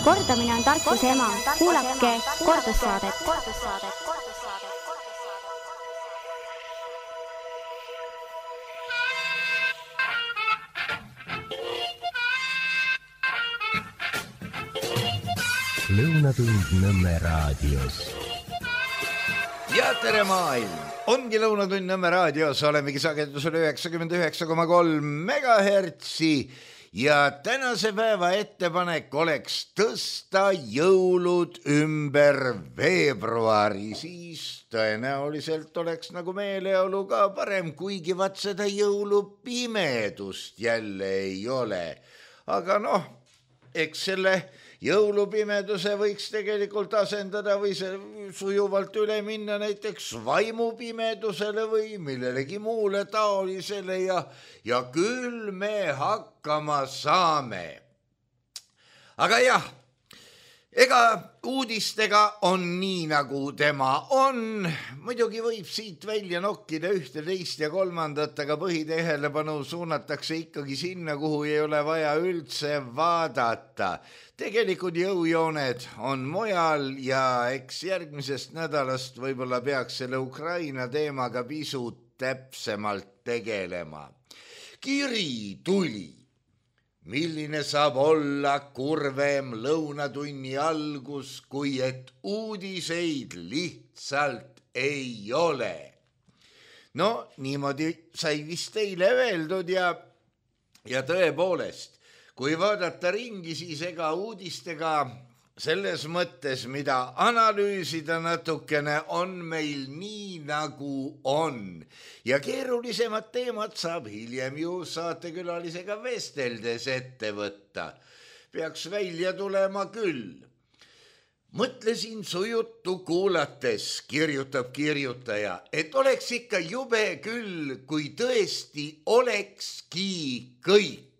Kordamine on tarkuse ema. Kuulake kordussaadet. Lõunatund Nõmme raadios. Ja tere maailm! Ongi Lõunatund Nõmme raadios, olemegi sagedusel 99,3 megahertsi ja tänase päeva ettepanek oleks tõsta jõulud ümber veebruari, siis tõenäoliselt oleks nagu meeleolu ka parem, kuigi vaat seda jõulupimedust jälle ei ole. Aga noh, eks selle jõulupimeduse võiks tegelikult asendada või see sujuvalt üle minna näiteks vaimupimedusele või millelegi muule taolisele ja küll me hakkama saame. Aga jah, ega uudistega on nii nagu tema on. Muidugi võib siit välja nokkida ühte, teist ja kolmandat, aga põhitähelepanu suunatakse ikkagi sinna, kuhu ei ole vaja üldse vaadata. Tegelikult jõujooned on mujal ja eks järgmisest nädalast võib-olla peaks selle Ukraina teemaga pisut täpsemalt tegelema. Kiri tuli. Milline saab olla kurvem lõunatunni algus, kui et uudiseid lihtsalt ei ole. No niimoodi sai vist teile öeldud ja tõepoolest, kui vaadata ringi, siis ega uudistega selles mõttes, mida analüüsida natukene, on meil nii nagu on. Ja keerulisemad teemad saab hiljem ju saatekülalisega vesteldes ette võtta. Peaks välja tulema küll. Mõtlesin su juttu kuulates, kirjutab kirjutaja, et oleks ikka jube küll, kui tõesti olekski kõik.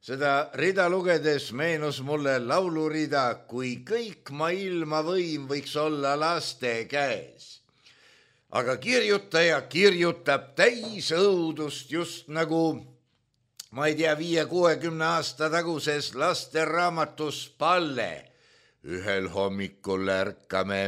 Seda rida lugedes meenus mulle laulurida, kui kõik maailma võim võiks olla laste käes. Aga kirjutaja kirjutab täis õudust just nagu, ma ei tea, 5-60 aasta taguses lasteraamatus Palle. Ühel hommikul ärkame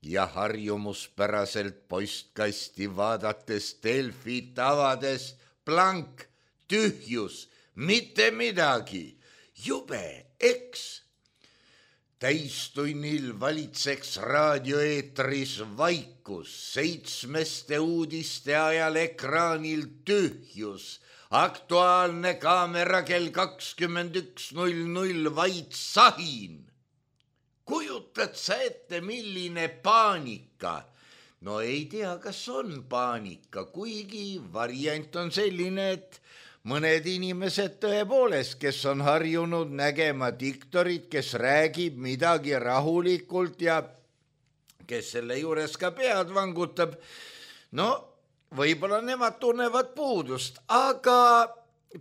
ja harjumuspäraselt postkasti vaadates Delfit avades blank, tühjus, mitte midagi, jube, eks. Täistunnil valitseks raadioeetris vaikus, 7 uudiste ajal ekraanil tühjus, aktuaalne kaamera kell 21.00 vaid sahin. Kujutad sa ette, milline paanika? No ei tea, kas on paanika, kuigi variant on selline, et mõned inimesed tõepoolest, kes on harjunud nägema diktorit, kes räägib midagi rahulikult ja kes selle juures ka pead vangutab, no võib-olla nemad tunnevad puudust, aga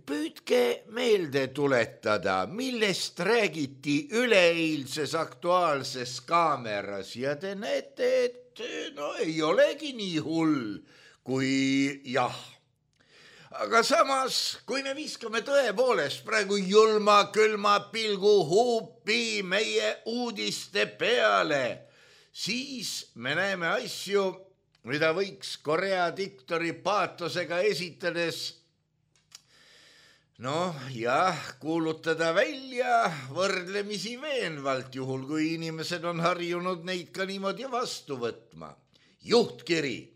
püüdke meelde tuletada, millest räägiti üleeilses aktuaalses kaameras ja te näete, et no ei olegi nii hull kui jah. Aga samas, kui me viskame tõepoolest praegu julma külma pilgu huupi meie uudiste peale, siis me näeme asju, mida võiks Korea diktori paatosega esitades kuulutada välja võrdlemisi veenvalt, juhul kui inimesed on harjunud neid ka niimoodi vastu võtma. Juhtkiri.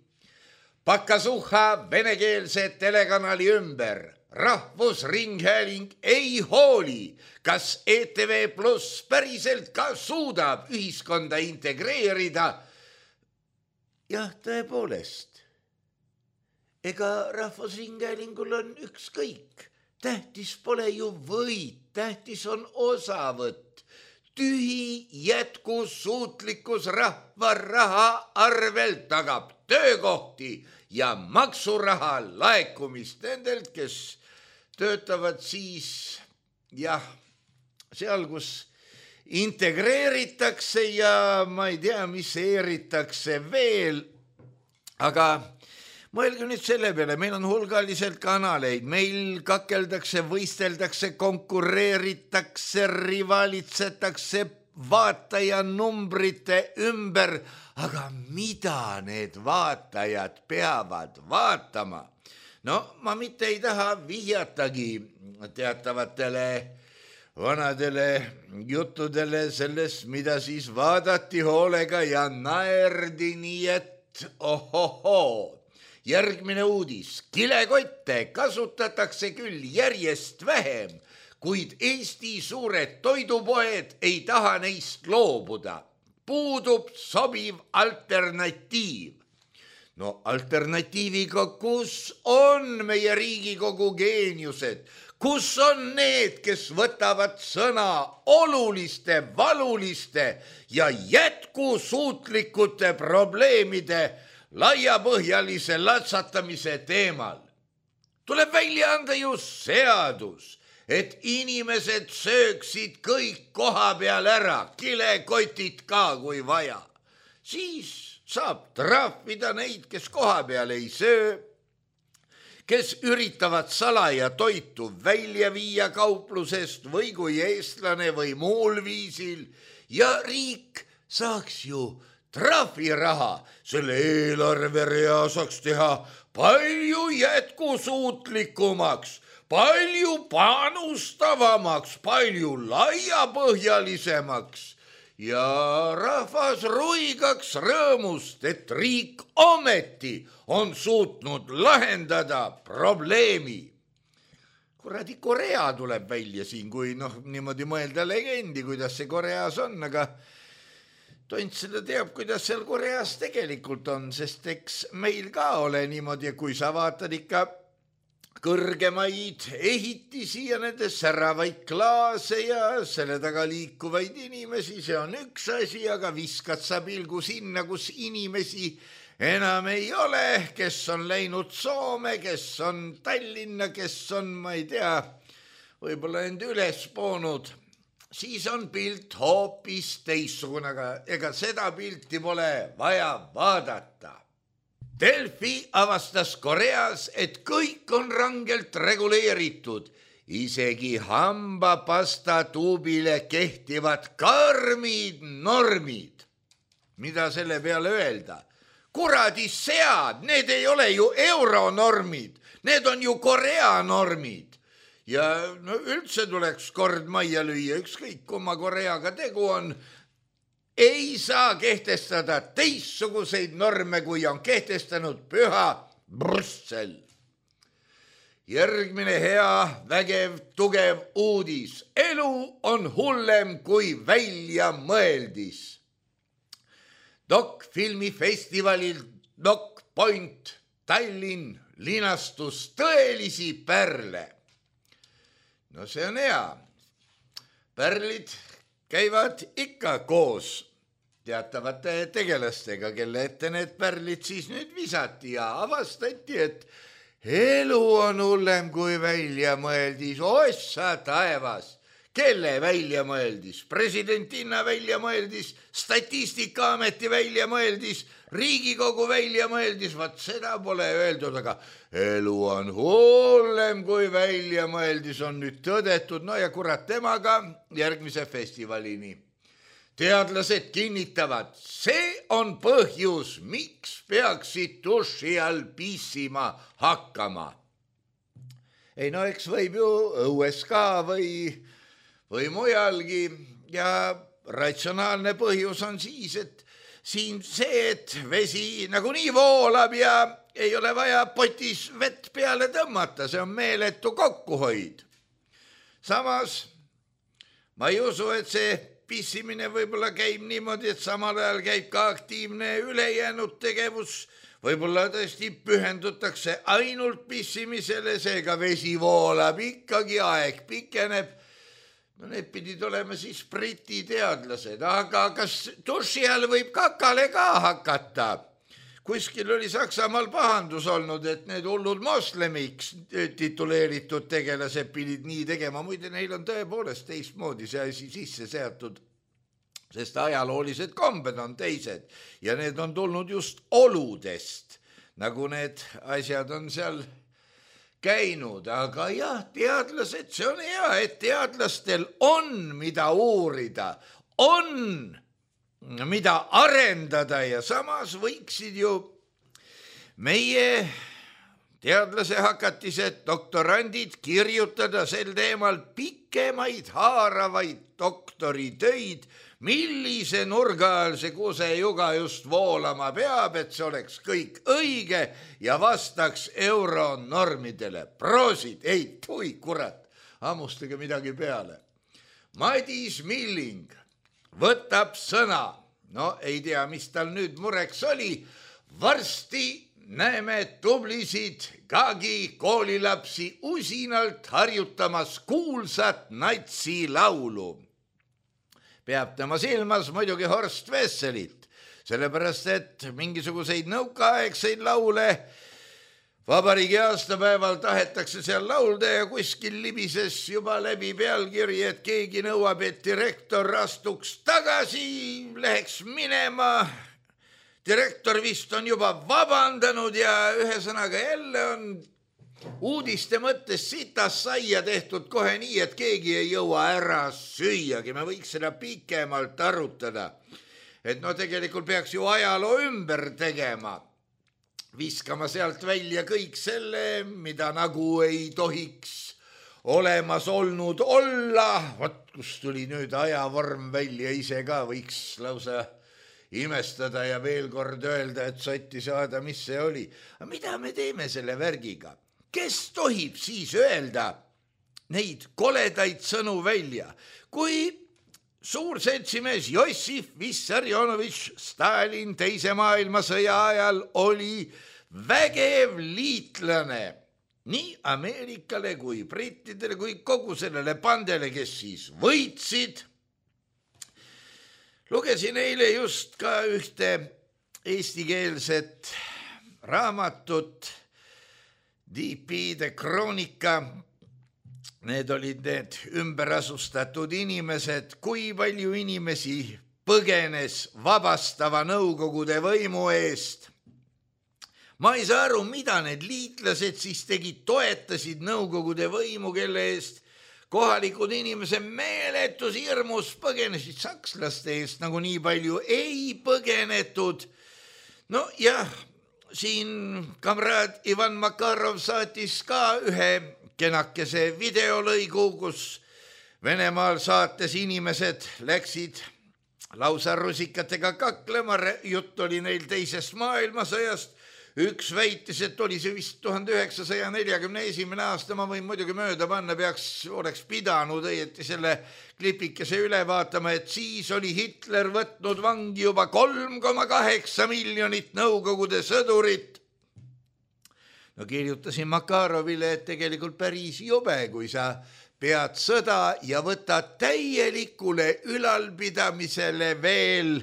Pakasuha venekeelse telekanali ümber. Rahvusringhääling ei hooli, kas ETV+ päriselt ka suudab ühiskonda integreerida. Jah, tõepoolest. Ega Rahvusringhäälingul on ükskõik. Tähtis pole ju võit, tähtis on osavõtt. Tühi jätkusuutlikkus rahva raha arvelt tagab töökohti ja maksuraha laekumist nendelt, kes töötavad siis seal, kus integreeritakse ja ma ei tea, mis eeritakse veel, aga Mõelge nüüd selle peale, meil on hulgaliselt kanaleid, meil kakeldakse, võisteldakse, konkureeritakse, rivalitsetakse vaatajanumbrite ümber, aga mida need vaatajad peavad vaatama? No ma mitte ei taha vihjatagi teatavatele vanadele juttudele sellest, mida siis vaadati hoolega ja naerdi nii, et ohohoo. Järgmine uudis. Kilekotte kasutatakse küll järjest vähem, kuid Eesti suured toidupoed ei taha neist loobuda. Puudub sobiv alternatiiv. No alternatiiviga, kus on meie Riigikogu geeniused? Kus on need, kes võtavad sõna oluliste, valuliste ja jätkusuutlikute probleemide laiapõhjalise latsatamise teemal? Tuleb välja anda ju seadus, et inimesed sööksid kõik koha peal ära, kilekotid ka kui vaja. Siis saab trahvida neid, kes koha peal ei söö, kes üritavad salaja toitu välja viia kauplusest või kui eestlane või muul viisil ja riik saaks ju trahviraha selle eelarverea saaks teha palju jätkusuutlikumaks, palju panustavamaks, palju laiapõhjalisemaks ja rahvas ruigaks rõõmust, et riik ometi on suutnud lahendada probleemi. Kuradi Korea tuleb välja siin, kui niimoodi mõelda legendi, kuidas see Koreas on, aga tont seda teab, kuidas seal Koreas tegelikult on, sest eks meil ka ole niimoodi, kui sa vaatad ikka kõrgemaid ehitisi ja nende säravaid klaase ja selle taga liikuvaid inimesi, see on üks asi, aga viskad sa pilgu sinna, kus inimesi enam ei ole, kes on läinud Soome, kes on Tallinna, kes on, ma ei tea, võib-olla end üles poonud, siis on pilt hoopis teistsugune, aga ega seda pilti pole vaja vaadata. Delfi avastas Koreas, et kõik on rangelt reguleeritud, isegi hambapasta tuubile kehtivad karmid normid. Mida selle peale öelda? Kuradi sead, need ei ole ju euronormid, need on ju Korea normid. Ja üldse tuleks kord majja lüüa, ükskõik kumma Koreaga tegu on, ei saa kehtestada teistsuguseid norme, kui on kehtestanud püha Brüssel. Järgmine hea, vägev, tugev uudis. Elu on hullem kui välja mõeldis. Dokfilmifestivalil Doc Point Tallinn linastus tõelisi pärle. No see on hea. Pärlid käivad ikka koos teatavate tegelastega, kelle ette need pärlid siis nüüd visati ja avastati, et elu on hullem kui välja mõeldis. Ossa taevas, kelle välja mõeldis? Presidentinna välja mõeldis, Statistikaameti välja mõeldis, Riigikogu välja mõeldis, vaat seda pole öeldud, aga elu on hullem kui välja mõeldis, on nüüd tõdetud, no ja kurat temaga järgmise festivalini. Teadlased kinnitavad, see on põhjus, miks peaksid duši all pissima hakkama. Ei no eks võib ju õues ka või mujalgi ja ratsionaalne põhjus on siis, et siin see, et vesi nagunii voolab ja ei ole vaja potis vett peale tõmmata, see on meeletu kokkuhoid. Samas ma ei usu, et see pissimine võib-olla käib niimoodi, et samal ajal käib ka aktiivne ülejäänud tegevus, võib-olla tõesti pühendutakse ainult pissimisele, seega vesi voolab ikkagi, aeg pikeneb. No need pidid olema siis Briti teadlased, aga kas duši all võib kakale ka hakata? Kuskil oli Saksamaal pahandus olnud, et need hullud moslemiks tituleeritud tegelased pidid nii tegema, muide neil on tõepoolest teistmoodi see asi sisse seatud, sest ajaloolised kombed on teised ja need on tulnud just oludest. nagu need asjad on seal käinud, aga jah, teadlased, see on hea, et teadlastel on, mida uurida, on, mida arendada ja samas võiksid ju meie teadlase hakatised, doktorandid kirjutada sel teemal pikemaid haaravaid doktoritöid, millise nurga all see kusejuga just voolama peab, et see oleks kõik õige ja vastaks euronormidele. Proosid, ei, tui kurat, hammustage midagi peale. Madis Milling võtab sõna, no ei tea, mis tal nüüd mureks oli, varsti näeme tublisid Gagi koolilapsi usinalt harjutamas kuulsat natsi laulu. Peab tema silmas muidugi Horst Wesselit, sellepärast et mingisuguseid nõukaaegseid laule vabariigi aastapäeval tahetakse seal laulda ja kuskil libises juba läbi pealkiri, et keegi nõuab, et direktor astuks tagasi, läheks minema. Direktor vist on juba vabandanud ja ühesõnaga jälle on uudiste mõttes sitas saia tehtud kohe nii, et keegi ei jõua ära süüagi. Me võiks seda pikemalt arutada. Et no tegelikult peaks ju ajaloo ümber tegema. Viskama sealt välja kõik selle, mida nagu ei tohiks olemas olnud olla. Vot kus tuli nüüd ajavorm välja, ise ka võiks lausa imestada ja veel kord öelda, et sotti saada, mis see oli. Aga mida me teeme selle värgiga? Kes tohib siis öelda neid koledaid sõnu välja, kui suur seltsimees Jossif Vissarionovitš Stalin teise maailmasõja ajal oli vägev liitlane nii Ameerikale kui brittidele kui kogu sellele pandele, kes siis võitsid. Lugesin eile just ka ühte eestikeelset raamatut, DP-de kroonika. Need olid need ümberasustatud inimesed, kui palju inimesi põgenes vabastava Nõukogude võimu eest. Ma ei saa aru, mida need liitlased siis tegid, toetasid Nõukogude võimu, kelle eest kohalikud inimesed meeletus hirmus põgenesid sakslaste eest, nagu nii palju ei põgenetud. No jah, siin kamraad Ivan Makarov saatis ka ühe kenakese videolõigu, kus Venemaal saates inimesed läksid lausa rusikatega kaklema, jutt oli neil teisest maailmasõjast. Üks väitis, et oli see vist 1941. aasta, ma võin muidugi mööda panna, oleks pidanud õieti selle klipikese üle vaatama, et siis oli Hitler võtnud vangi juba 3,8 miljonit Nõukogude sõdurit. No kirjutasin Makarovile, et tegelikult päris jube, kui sa pead sõda ja võtad täielikule ülalpidamisele veel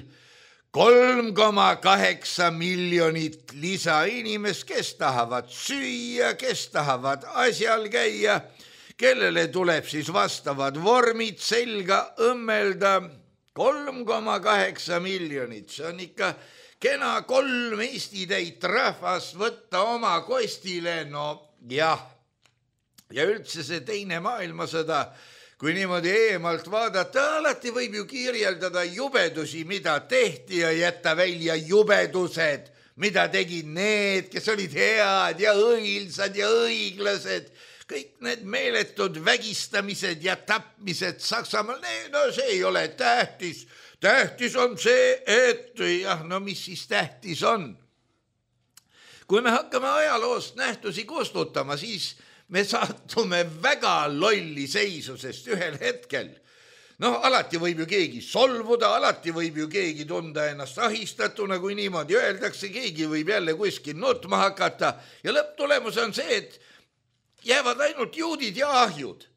3,8 miljonit lisainimest, kes tahavad süüa, kes tahavad asjal käia, kellele tuleb siis vastavad vormid selga õmmelda. 3,8 miljonit, see on ikka kena 3 Eesti täit rahvast võtta oma kostile, no jah. Ja üldse see teine maailmasõda, kui niimoodi eemalt vaadata, alati võib ju kirjeldada jubedusi, mida tehti ja jätta välja jubedused, mida tegid need, kes olid head ja õilsad ja õiglased. Kõik need meeletud vägistamised ja tapmised Saksamaal, no see ei ole tähtis. Tähtis on see, et jah, no mis siis tähtis on? Kui me hakkame ajaloost nähtusi kustutama, siis me saatume väga lolli seisu, sest ühel hetkel, alati võib ju keegi solvuda, alati võib ju keegi tunda ennast ahistatuna, kui niimoodi öeldakse, keegi võib jälle kuskil nutma hakata ja lõpptulemus on see, et jäävad ainult juudid ja ahjud.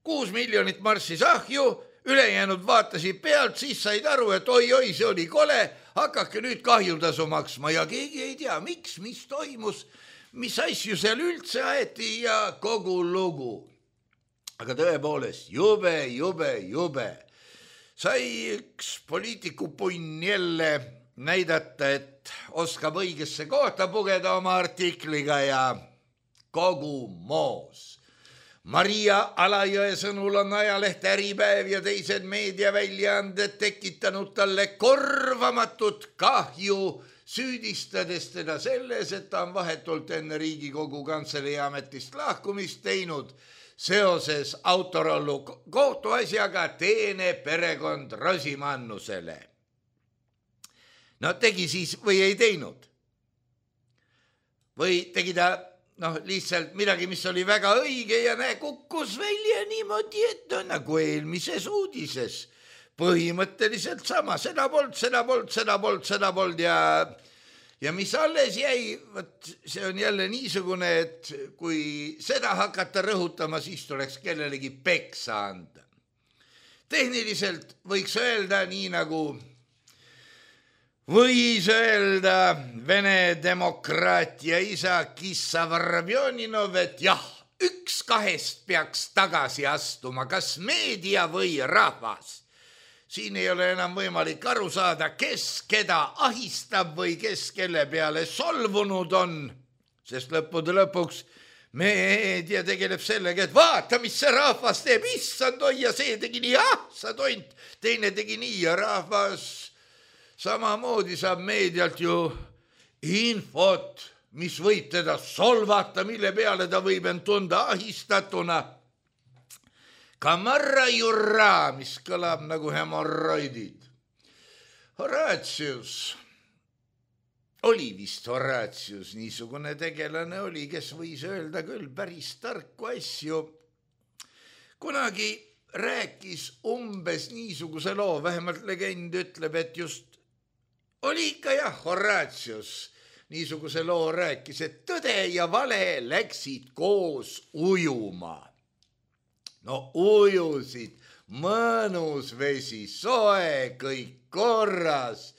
6 miljonit marssis ahju, ülejäänud vaatasid pealt, siis said aru, et oi, see oli kole, hakake nüüd kahjutasu maksma ja keegi ei tea, miks, mis toimus, mis asju seal üldse aeti ja kogu lugu. Aga tõepoolest, jube. Sai üks poliitikupunn jälle näidata, et oskab õigesse kohta pugeda oma artikliga ja kogu moos. Maria Alajõe sõnul on ajaleht Äripäev ja teised meediaväljaanded tekitanud talle korvamatut kahju, süüdistades teda selles, et ta on vahetult enne Riigikogu Kantselei ametist lahkumist teinud seoses Autorollo kohtuasjaga teene perekond Rosimannusele. No tegi siis või ei teinud? Või tegi ta lihtsalt midagi, mis oli väga õige ja kukkus välja niimoodi, et nagu eelmises uudises. Põhimõtteliselt sama, seda polnud ja mis alles jäi, see on jälle niisugune, et kui seda hakata rõhutama, siis tuleks kellelegi peksa anda. Tehniliselt võiks öelda nii nagu võis öelda Vene demokraatia isa Kissa Varavjoninov, et jah, üks kahest peaks tagasi astuma, kas meedia või rahvas. Siin ei ole enam võimalik aru saada, kes keda ahistab või kes kelle peale solvunud on, sest lõppude lõpuks meedia tegeleb sellega, et vaata, mis see rahvas teeb, issand, oi ja see tegi nii, sa tont, teine tegi nii ja rahvas samamoodi saab meedialt ju infot, mis võib teda solvata, mille peale ta võib end tunda ahistatuna. Kamarra jurra, mis kõlab nagu hemorroidid. Horatius, oli vist Horatius, niisugune tegelane oli, kes võis öelda küll päris tarku asju. Kunagi rääkis umbes niisuguse loo, vähemalt legend ütleb, et just oli ikka jah, Horatius niisuguse loo rääkis, et tõde ja vale läksid koos ujuma. No ujusid, mõnus vesi, soe, kõik korras.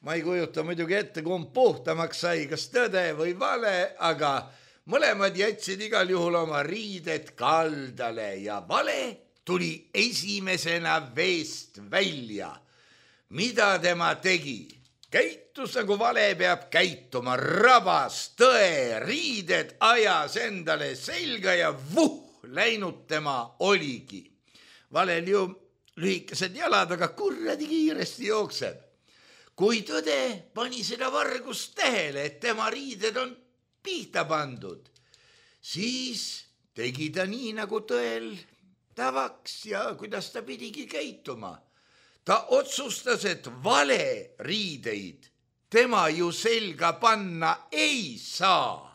Ma ei kujuta muidugi ette, kumb puhtamaks sai, kas tõde või vale, aga mõlemad jätsid igal juhul oma riided kaldale ja vale tuli esimesena veest välja. Mida tema tegi? Käitus nagu vale peab käituma, rabas tõe, riided ajas endale selga ja läinud tema oligi. Valel ju lühikesed jalad, aga kurradi kiiresti jookseb. Kui tõde pani seda vargust tähele, et tema riided on pihta pandud, siis tegi ta nii nagu tõel tavaks ja kuidas ta pidigi käituma. Ta otsustas, et vale riideid tema ju selga panna ei saa.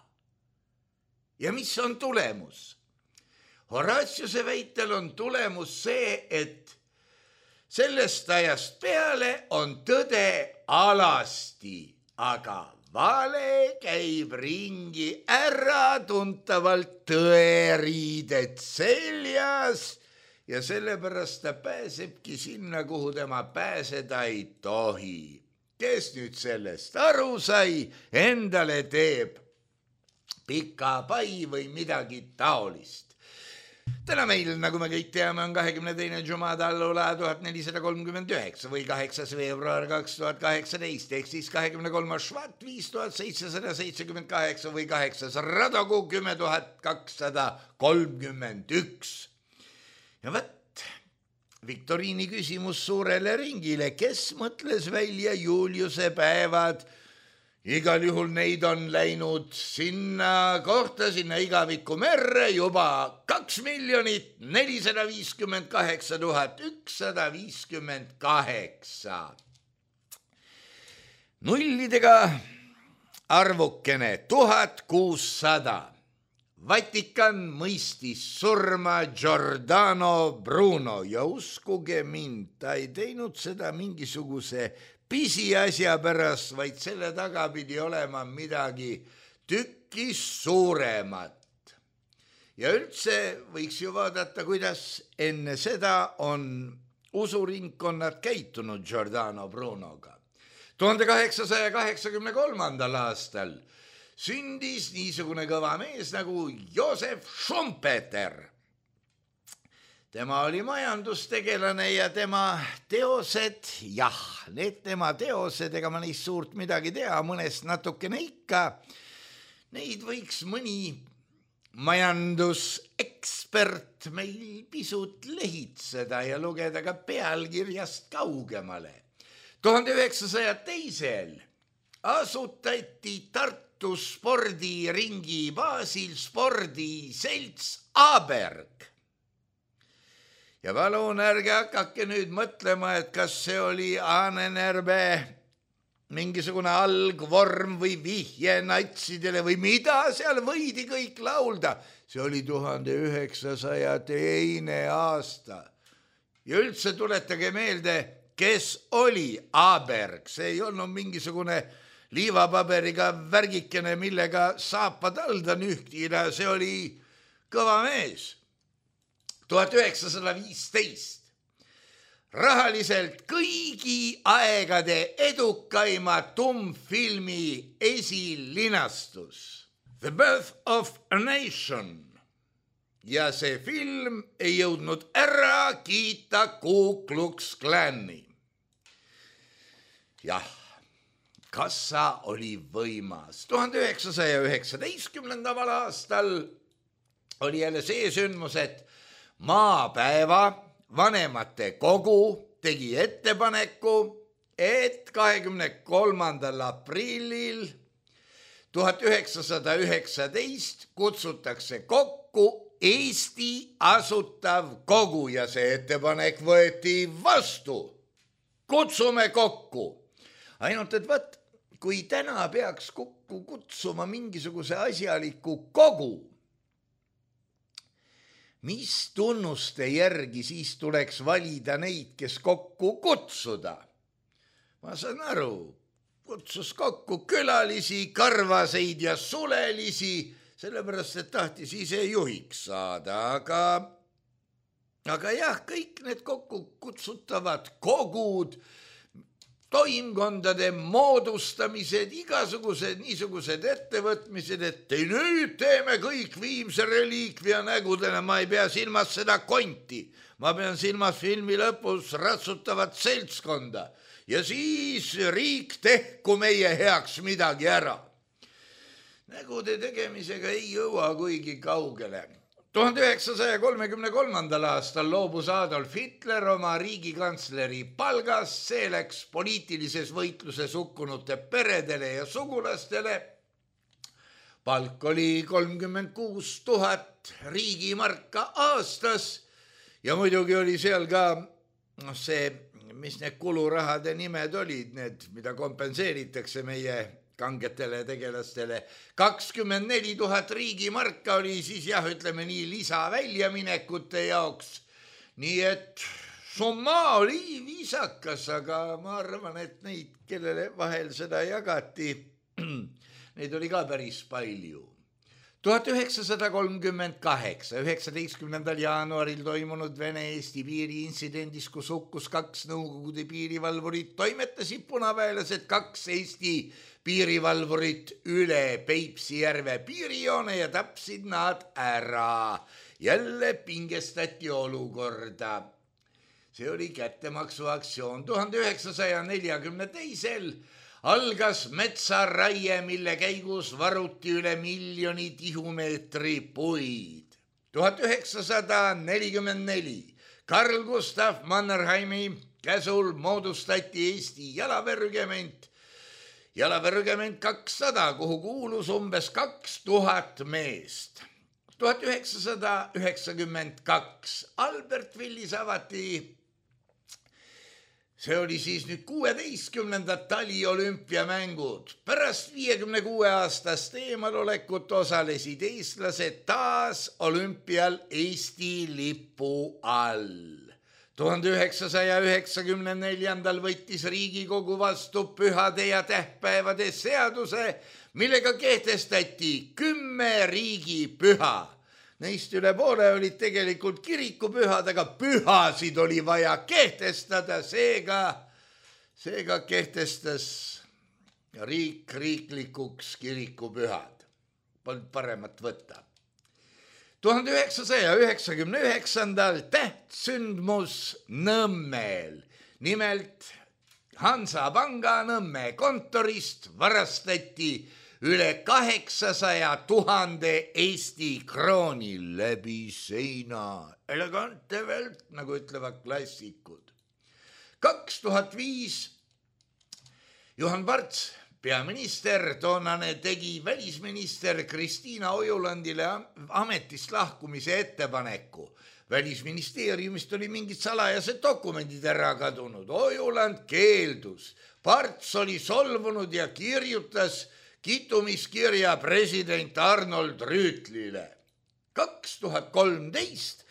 Ja mis on tulemus? Horatiuse väitel on tulemus see, et sellest ajast peale on tõde alasti, aga vale käib ringi äratuntavalt tõeriided seljas ja sellepärast ta pääsebki sinna, kuhu tema pääseda ei tohi. Kes nüüd sellest aru sai, endale teeb pika pai või midagi taolist. Täna meil, nagu me kõik teame, on 22. Jumada allula 1439 või 8. veebruar 2018 ehk siis 23. Švat 5778 või 8. Radogu 10231. Ja võt, viktoriini küsimus suurele ringile, kes mõtles välja Juliuse päevad? Igal juhul neid on läinud sinna kohta, sinna igaviku merre juba 2 458 158. Nullidega arvukene 1600. Vatikan mõistis surma Giordano Bruno ja uskuge mind, ta ei teinud seda mingisuguse pisiasja pärast, vaid selle taga pidi olema midagi tükis suuremat. Ja üldse võiks ju vaadata, kuidas enne seda on usuringkonnad käitunud Giordano Brunoga. 1883. aastal sündis niisugune kõva mees nagu Joosef Schumpeter. tema oli majandustegelane ja tema teosed, jah, need tema teosed, ega ma neist suurt midagi tea, mõnest natukene ikka, neid võiks mõni majandusekspert meil pisut lehitseda ja lugeda ka pealkirjast kaugemale. 1902. asutati Tartu spordiringi baasil spordiselts Aberg. Ja palun ärge hakake nüüd mõtlema, et kas see oli Ahnenerve mingisugune algvorm või vihje natsidele või mida seal võidi kõik laulda. See oli 1902. aasta. Ja üldse tuletage meelde, kes oli Aberg. See ei olnud mingisugune liivapaberiga värgikene, millega saapad alda nühtida. See oli kõva mees. 1915. rahaliselt kõigi aegade edukaima tummfilmi esilinastus The Birth of a Nation. Ja see film ei jõudnud ära kiita Ku Klux Klani. Jah, kassa oli võimas. 1919. aastal oli jälle see sündmus, et maapäeva vanemate kogu tegi ettepaneku, et 23. aprillil 1919 kutsutakse kokku Eesti asutav kogu ja see ettepanek võeti vastu. Kutsume kokku. Ainult, et võt, kui täna peaks kokku kutsuma mingisuguse asjaliku kogu, mis tunnuste järgi siis tuleks valida neid, kes kokku kutsuda? Ma saan aru, kutsus kokku külalisi, karvaseid ja sulelisi, sellepärast, et tahtis ise juhiks saada, aga jah, kõik need kokku kutsutavad kogud, toimkondade moodustamised, igasugused niisugused ettevõtmised, et nüüd teeme kõik viimse reliikvia nägudena, ma ei pea silmas seda konti, ma pean silmas filmi lõpus ratsutavat seltskonda ja siis riik tehku meie heaks midagi ära. Nägude tegemisega ei jõua kuigi kaugele. 1933. aastal loobus Adolf Hitler oma riigikantsleri palgast, see läks poliitilises võitluses hukkunute peredele ja sugulastele. Palk oli 36 000 riigimarka aastas ja muidugi oli seal ka see, mis need kulurahade nimed olid, need, mida kompenseeritakse meie kangetele tegelastele. 24 000 riigimarka oli siis jah, ütleme nii, lisaväljaminekute jaoks. Nii et summa oli viisakas, aga ma arvan, et neid, kellele vahel seda jagati, neid oli ka päris palju. 1938. 19. jaanuaril toimunud Vene-Eesti piiriinsidendis, kus hukkus 2 Nõukogude piirivalvurit, toimetasid punaväelased 2 Eesti piirivalvurit üle Peipsi järve piirijoone ja tapsid nad ära. Jälle pingestati olukorda. See oli kättemaksuaktsioon. 1942. algas metsaraie, mille käigus varuti üle 1 000 000 tihumeetri puid. 1944. Karl Gustav Mannerheimi käsul moodustati Eesti jalaväerügement 200, kuhu kuulus umbes 2000 meest. 1992. Albertvillis avati, see oli siis nüüd 16. taliolümpiamängud. Pärast 56 aastast eemalolekut osalesid eestlased taas olümpial Eesti lipu all. 1994. võttis Riigikogu vastu pühade ja tähtpäevade seaduse, millega kehtestati 10 riigipüha. Neist üle poole olid tegelikult kirikupühad, aga pühasid oli vaja kehtestada, seega kehtestas riik riiklikuks kirikupühad. Polnud paremat võtta. 1999. tähtsündmus Nõmmeel. Nimelt Hansapanga Nõmme kontorist varastati üle 800 000 Eesti krooni läbi seina. Elegante velt, nagu ütlevad klassikud. 2005 Juhan Parts, peaminister, toonane tegi välisminister Kristiina Ojulandile ametist lahkumise ettepaneku. Välisministeeriumist oli mingid salajased dokumendid ära kadunud. Ojuland keeldus. Parts oli solvunud ja kirjutas kitumiskirja president Arnold Rüütlile. 2013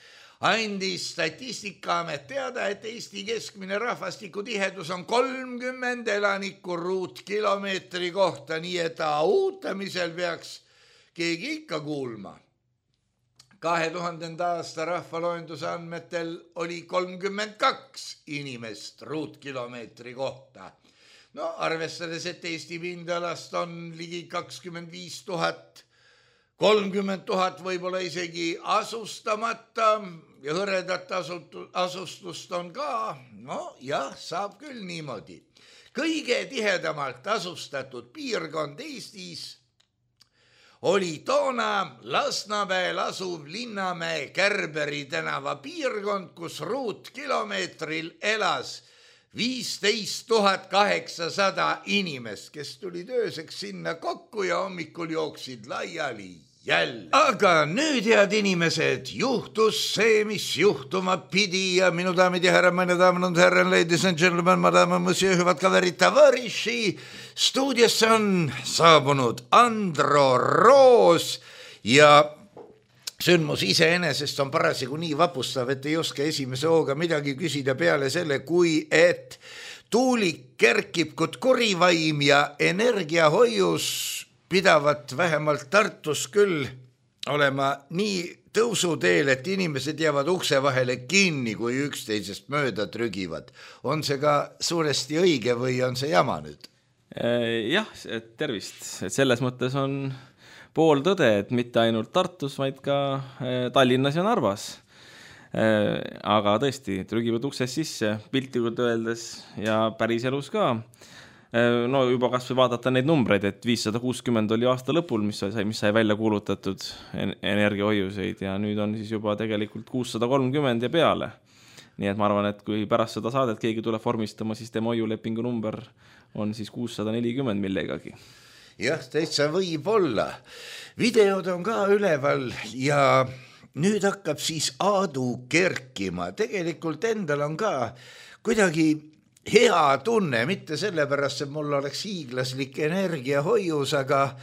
andis Statistikaamet teada, et Eesti keskmine rahvastikutihedus on 30 elanikku ruutkilomeetri kohta, nii et autamisel peaks keegi ikka kuulma. 2000. aasta rahvaloenduse andmetel oli 32 inimest ruutkilomeetri kohta. No arvestades, et Eesti pindalast on ligi 25 000, 30 000 võib-olla isegi asustamata ja hõredat asustust on ka, no jah, saab küll niimoodi. Kõige tihedamalt asustatud piirkond Eestis oli toona Lasnamäel asuv Linnamäe Kärberi tänava piirkond, kus ruutkilomeetril elas 15 800 inimest, kes tulid ööseks sinna kokku ja hommikul jooksid laiali jälle. Aga nüüd, head inimesed, juhtus see, mis juhtuma pidi ja minu daamid ja härrad, meine daamid und herren, ladies and gentlemen, madame, monsieur, hüvad kaverid, tavariši. Stuudiosse on saabunud Andro Roos ja sündmus iseenesest on parasjagu nii vapustav, et ei oska esimese hooga midagi küsida peale selle, kui et tuulik kerkib kui kurivaim ja energiahoius pidavat vähemalt Tartus küll olema nii tõusuteel, et inimesed jäävad ukse vahele kinni, kui üksteisest mööda trügivad. On see ka suuresti õige või on see jama nüüd? Jah, tervist. Selles mõttes on pool tõde, et mitte ainult Tartus, vaid ka Tallinnas ja Narvas. Aga tõesti, trügivad uksest sisse, piltlikult öeldes ja päris elus ka. No juba kas või vaadata neid numbreid, et 560 oli aasta lõpul, mis sai välja kuulutatud energiahoiuseid ja nüüd on siis juba tegelikult 630 ja peale. Nii et ma arvan, et kui pärast seda saadet keegi tuleb vormistama, siis tema hoiulepingu number on siis 640 millegagi. Jah, täitsa võib olla. Videod on ka üleval ja nüüd hakkab siis Aadu kerkima. Tegelikult endal on ka kuidagi hea tunne, mitte sellepärast, et mul oleks hiiglaslik energiahoius, aga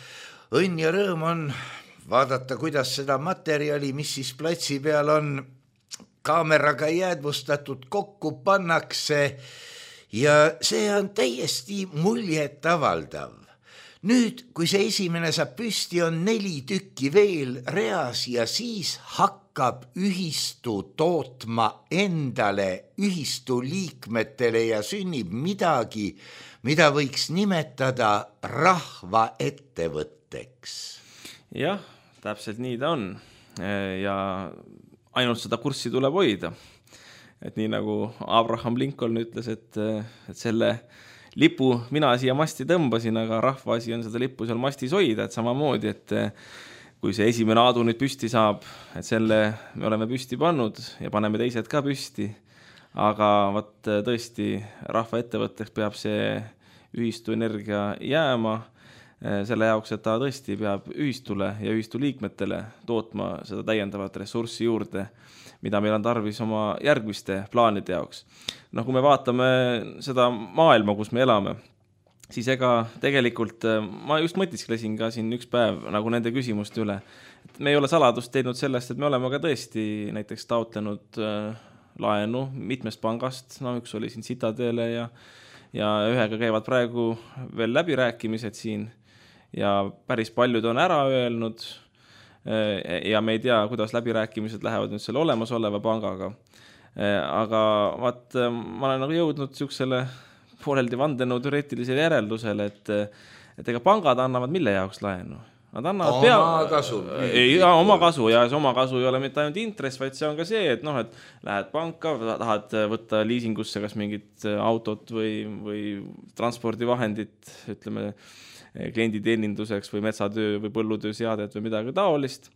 õnn ja rõõm on vaadata, kuidas seda materjali, mis siis platsi peal on kaameraga jäädvustatud, kokku pannakse ja see on täiesti muljet avaldav. Nüüd, kui see esimene saab püsti, on 4 tükki veel reas ja siis hakkab ühistu tootma endale, ühistu liikmetele ja sünnib midagi, mida võiks nimetada rahvaettevõtteks. Jah, täpselt nii ta on ja ainult seda kurssi tuleb hoida. Et nii nagu Abraham Lincoln ütles, et selle lipu mina siia masti tõmbasin, aga rahva asi on seda lippu seal mastis hoida, et samamoodi, et kui see esimene Aadu nüüd püsti saab, et selle me oleme püsti pannud ja paneme teised ka püsti, aga tõesti rahva ettevõtteks peab see ühistu energia jääma selle jaoks, et ta tõesti peab ühistule ja ühistu liikmetele tootma seda täiendavat ressurssi juurde, mida meil on tarvis oma järgmiste plaanide jaoks. No kui me vaatame seda maailma, kus me elame, siis ega tegelikult ma just mõtisklesin ka siin üks päev nagu nende küsimuste üle. Et me ei ole saladust teinud sellest, et me oleme ka tõesti näiteks taotlenud laenu mitmest pangast, no üks oli siin Citadele ja ühega käivad praegu veel läbirääkimised siin ja päris paljud on ära öelnud ja me ei tea, kuidas läbirääkimised lähevad nüüd selle olemasoleva pangaga. Aga ma olen nagu jõudnud siuksele pooleldi vandenõu teoreetilisele järeldusele, et ega pangad annavad mille jaoks laenu? Nad annavad oma kasu. Oma kasu ja see oma kasu ei ole mitte ainult intress, vaid see on ka see, et et lähed panka, tahad võtta liisingusse kas mingit autot või transpordivahendit, ütleme klienditeeninduseks või metsatöö või põllutöö seadet või midagi taolist,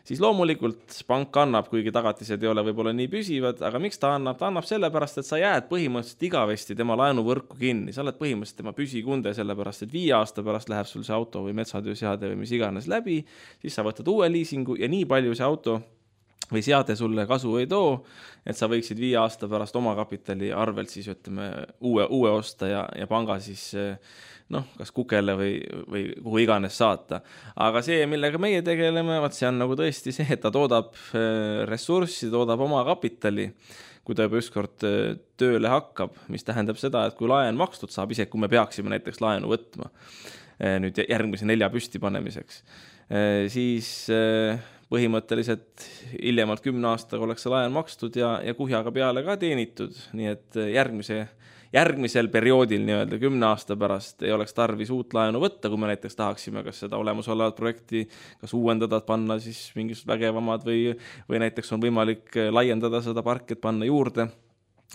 siis loomulikult pank annab, kuigi tagatised ei ole võib-olla nii püsivad, aga miks ta annab? Ta annab sellepärast, et sa jääd põhimõtteliselt igavesti tema laenuvõrku kinni. Sa oled põhimõtteliselt tema püsikunde sellepärast, et 5 aasta pärast läheb sul see auto või metsatöö seade või mis iganes läbi, siis sa võtad uue liisingu ja nii palju see auto või seade sulle kasu ei too, et sa võiksid 5 aasta pärast oma kapitali arvelt siis ütleme uue osta ja panga siis kas kukele või kuhu iganes saata. Aga see, millega meie tegeleme, see on nagu tõesti see, et ta toodab ressurssi, toodab oma kapitali, kui ta juba ükskord tööle hakkab, mis tähendab seda, et kui laen makstud saab, isegi kui me peaksime näiteks laenu võtma nüüd järgmise 4 püsti panemiseks, siis põhimõtteliselt hiljemalt 10 aastaga oleks see laen makstud ja kuhjaga peale ka teenitud, nii et järgmisel perioodil 10 aasta pärast ei oleks tarvis uut laenu võtta, kui me näiteks tahaksime kas seda olemasolevat projekti kas uuendada, panna siis mingisugused vägevamad või näiteks on võimalik laiendada seda parki, et panna juurde,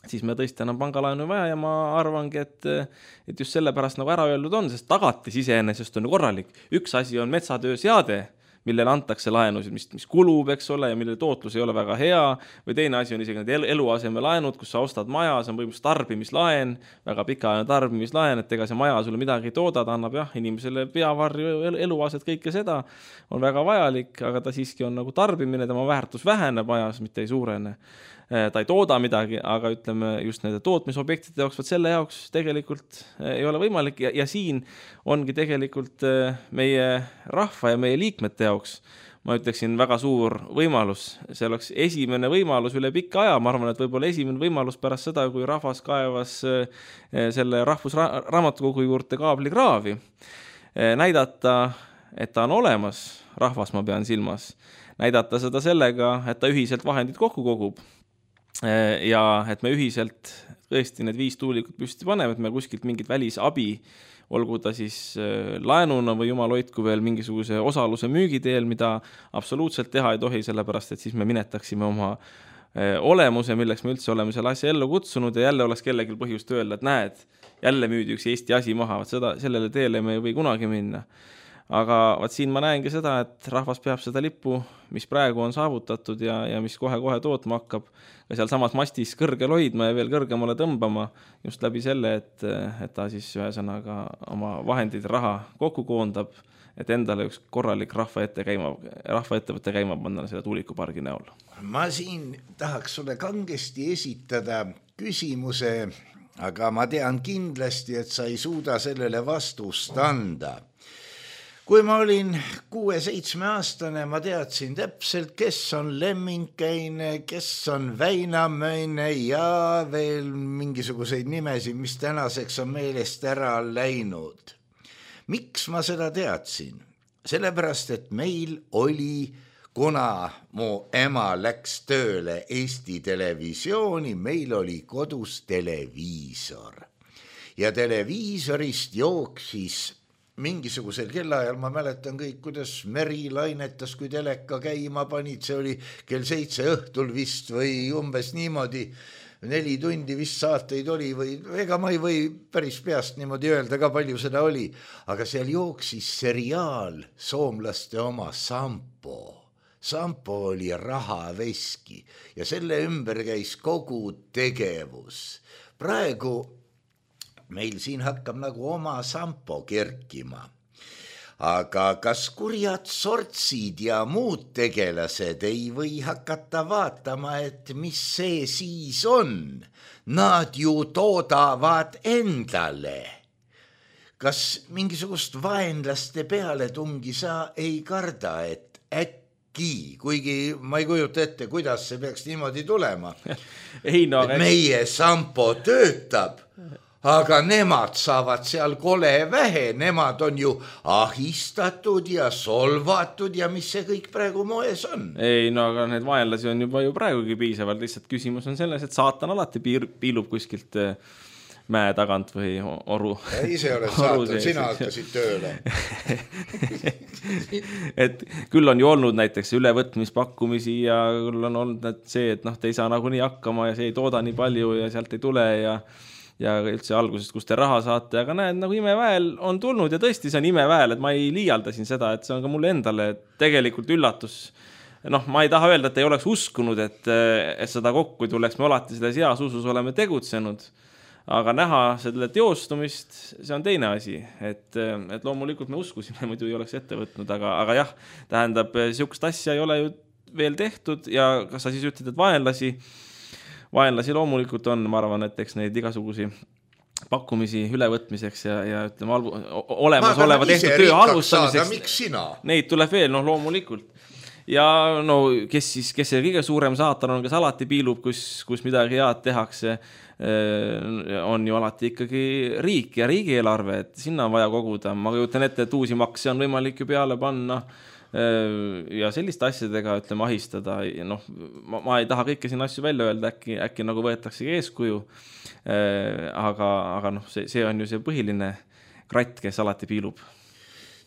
siis me tõesti enam pangalaenu vaja ja ma arvangi, et just sellepärast nagu ära öeldud on, sest tagatis iseenesest on korralik. Üks asi on metsatöö seade, millele antakse laenusid, mis kulub, eks ole, ja mille tootlus ei ole väga hea, või teine asi on isegi need eluaseme laenud, kus sa ostad maja, see on põhimõtteliselt tarbimislaen, väga pikaajaline tarbimislaen, et ega see maja sulle midagi ei tooda, ta annab inimesele peavarju, eluaset, kõike seda on väga vajalik, aga ta siiski on nagu tarbimine, tema väärtus väheneb ajas, mitte ei suurene. Ta ei tooda midagi, aga ütleme just nende tootmisobjektide jaoks, selle jaoks tegelikult ei ole võimalik ja siin ongi tegelikult meie rahva ja meie liikmete jaoks, ma ütleksin, väga suur võimalus. See oleks esimene võimalus üle pikka aja, ma arvan, et võib-olla esimene võimalus pärast seda, kui rahvas kaevas selle rahvusraamatukogu juurde kaablikraavi, näidata, et ta on olemas, rahvas ma pean silmas, näidata seda sellega, et ta ühiselt vahendid kokku kogub. Ja et me ühiselt tõesti need 5 tuulikut püsti paneme, et me kuskilt mingit välisabi, olgu ta siis laenuna või jumal hoidku veel mingisuguse osaluse müügiteel, mida absoluutselt teha ei tohi, sellepärast et siis me minetaksime oma olemuse, milleks me üldse oleme selle asja ellu kutsunud ja jälle oleks kellelgi põhjust öelda, et näed, jälle müüdi üks Eesti asi maha, sellele teele me ei või kunagi minna. Aga siin ma näengi seda, et rahvas peab seda lippu, mis praegu on saavutatud ja mis kohe tootma hakkab, ka seal samas mastis kõrgel hoidma ja veel kõrgemale tõmbama, just läbi selle, et ta siis ühesõnaga oma vahendid raha kokku koondab, et endale üks korralik rahvaettevõtte käima panna selle tuulikupargi näol. Ma siin tahaks sulle kangesti esitada küsimuse, aga ma tean kindlasti, et sa ei suuda sellele vastust anda. Kui ma olin 6-7 aastane, ma teadsin täpselt, kes on Lemminkäine, kes on Väinamäine ja veel mingisuguseid nimesid, mis tänaseks on meelest ära läinud. Miks ma seda teadsin? Sellepärast, et meil oli, kuna mu ema läks tööle Eesti Televisiooni, meil oli kodus televiisor. Ja televiisorist jooksis mingisugusel kellaajal, ma mäletan kõik, kuidas Meri lainetas, kui teleka käima panid, see oli kell 7 õhtul vist või umbes niimoodi, 4 tundi vist saateid oli või ega ma ei või päris peast niimoodi öelda ka palju seda oli, aga seal jooksis seriaal soomlaste oma Sampo. Sampo oli rahaveski ja selle ümber käis kogu tegevus. Praegu meil siin hakkab nagu oma Sampo kerkima. Aga kas kurjad sortsid ja muud tegelased ei või hakata vaatama, et mis see siis on? Nad ju toodavad endale. Kas mingisugust vaenlaste pealetungi sa ei karda, et äkki, kuigi ma ei kujuta ette, kuidas see peaks niimoodi tulema. Meie Sampo töötab, aga nemad saavad seal kole vähe, nemad on ju ahistatud ja solvatud ja mis see kõik praegu moes on? Ei, aga need vaenlasi on juba ju praegugi piisavalt, lihtsalt küsimus on selles, et saatan alati piilub kuskilt mäe tagant või oru. Ja ise oled saatnud, sina hakkasid tööle. Et küll on ju olnud näiteks ülevõtmispakkumisi ja küll on olnud see, et te ei saa nagunii hakkama ja see ei tooda nii palju ja sealt ei tule ja üldse algusest, kus te raha saate, aga näed, nagu imeväel on tulnud ja tõesti see on imeväel, et ma ei liialdasin seda, et see on ka mulle endale tegelikult üllatus. Ma ei taha öelda, et ei oleks uskunud, et seda kokku ei tuleks, me alati selles heas usus oleme tegutsenud, aga näha selle teostumist, see on teine asi, et loomulikult me uskusime, muidu ei oleks ette võtnud, aga jah, tähendab, sihukest asja ei ole ju veel tehtud ja kas sa siis ütled, et vaenlasi loomulikult on, ma arvan, et eks neid igasugusi pakkumisi ülevõtmiseks ja ütleme, olemasoleva tehtud töö alustamiseks, neid tuleb veel, loomulikult. Ja kes see kõige suurem saatan on, kes alati piilub, kus midagi head tehakse, on ju alati ikkagi riik ja riigieelarve, et sinna on vaja koguda. Ma kujutan ette, et uusi makse on võimalik ju peale panna ja selliste asjadega, ütleme, ahistada. Ma ei taha kõike siin asju välja öelda, äkki nagu võetaksegi eeskuju, aga see on ju see põhiline kratt, kes alati piilub.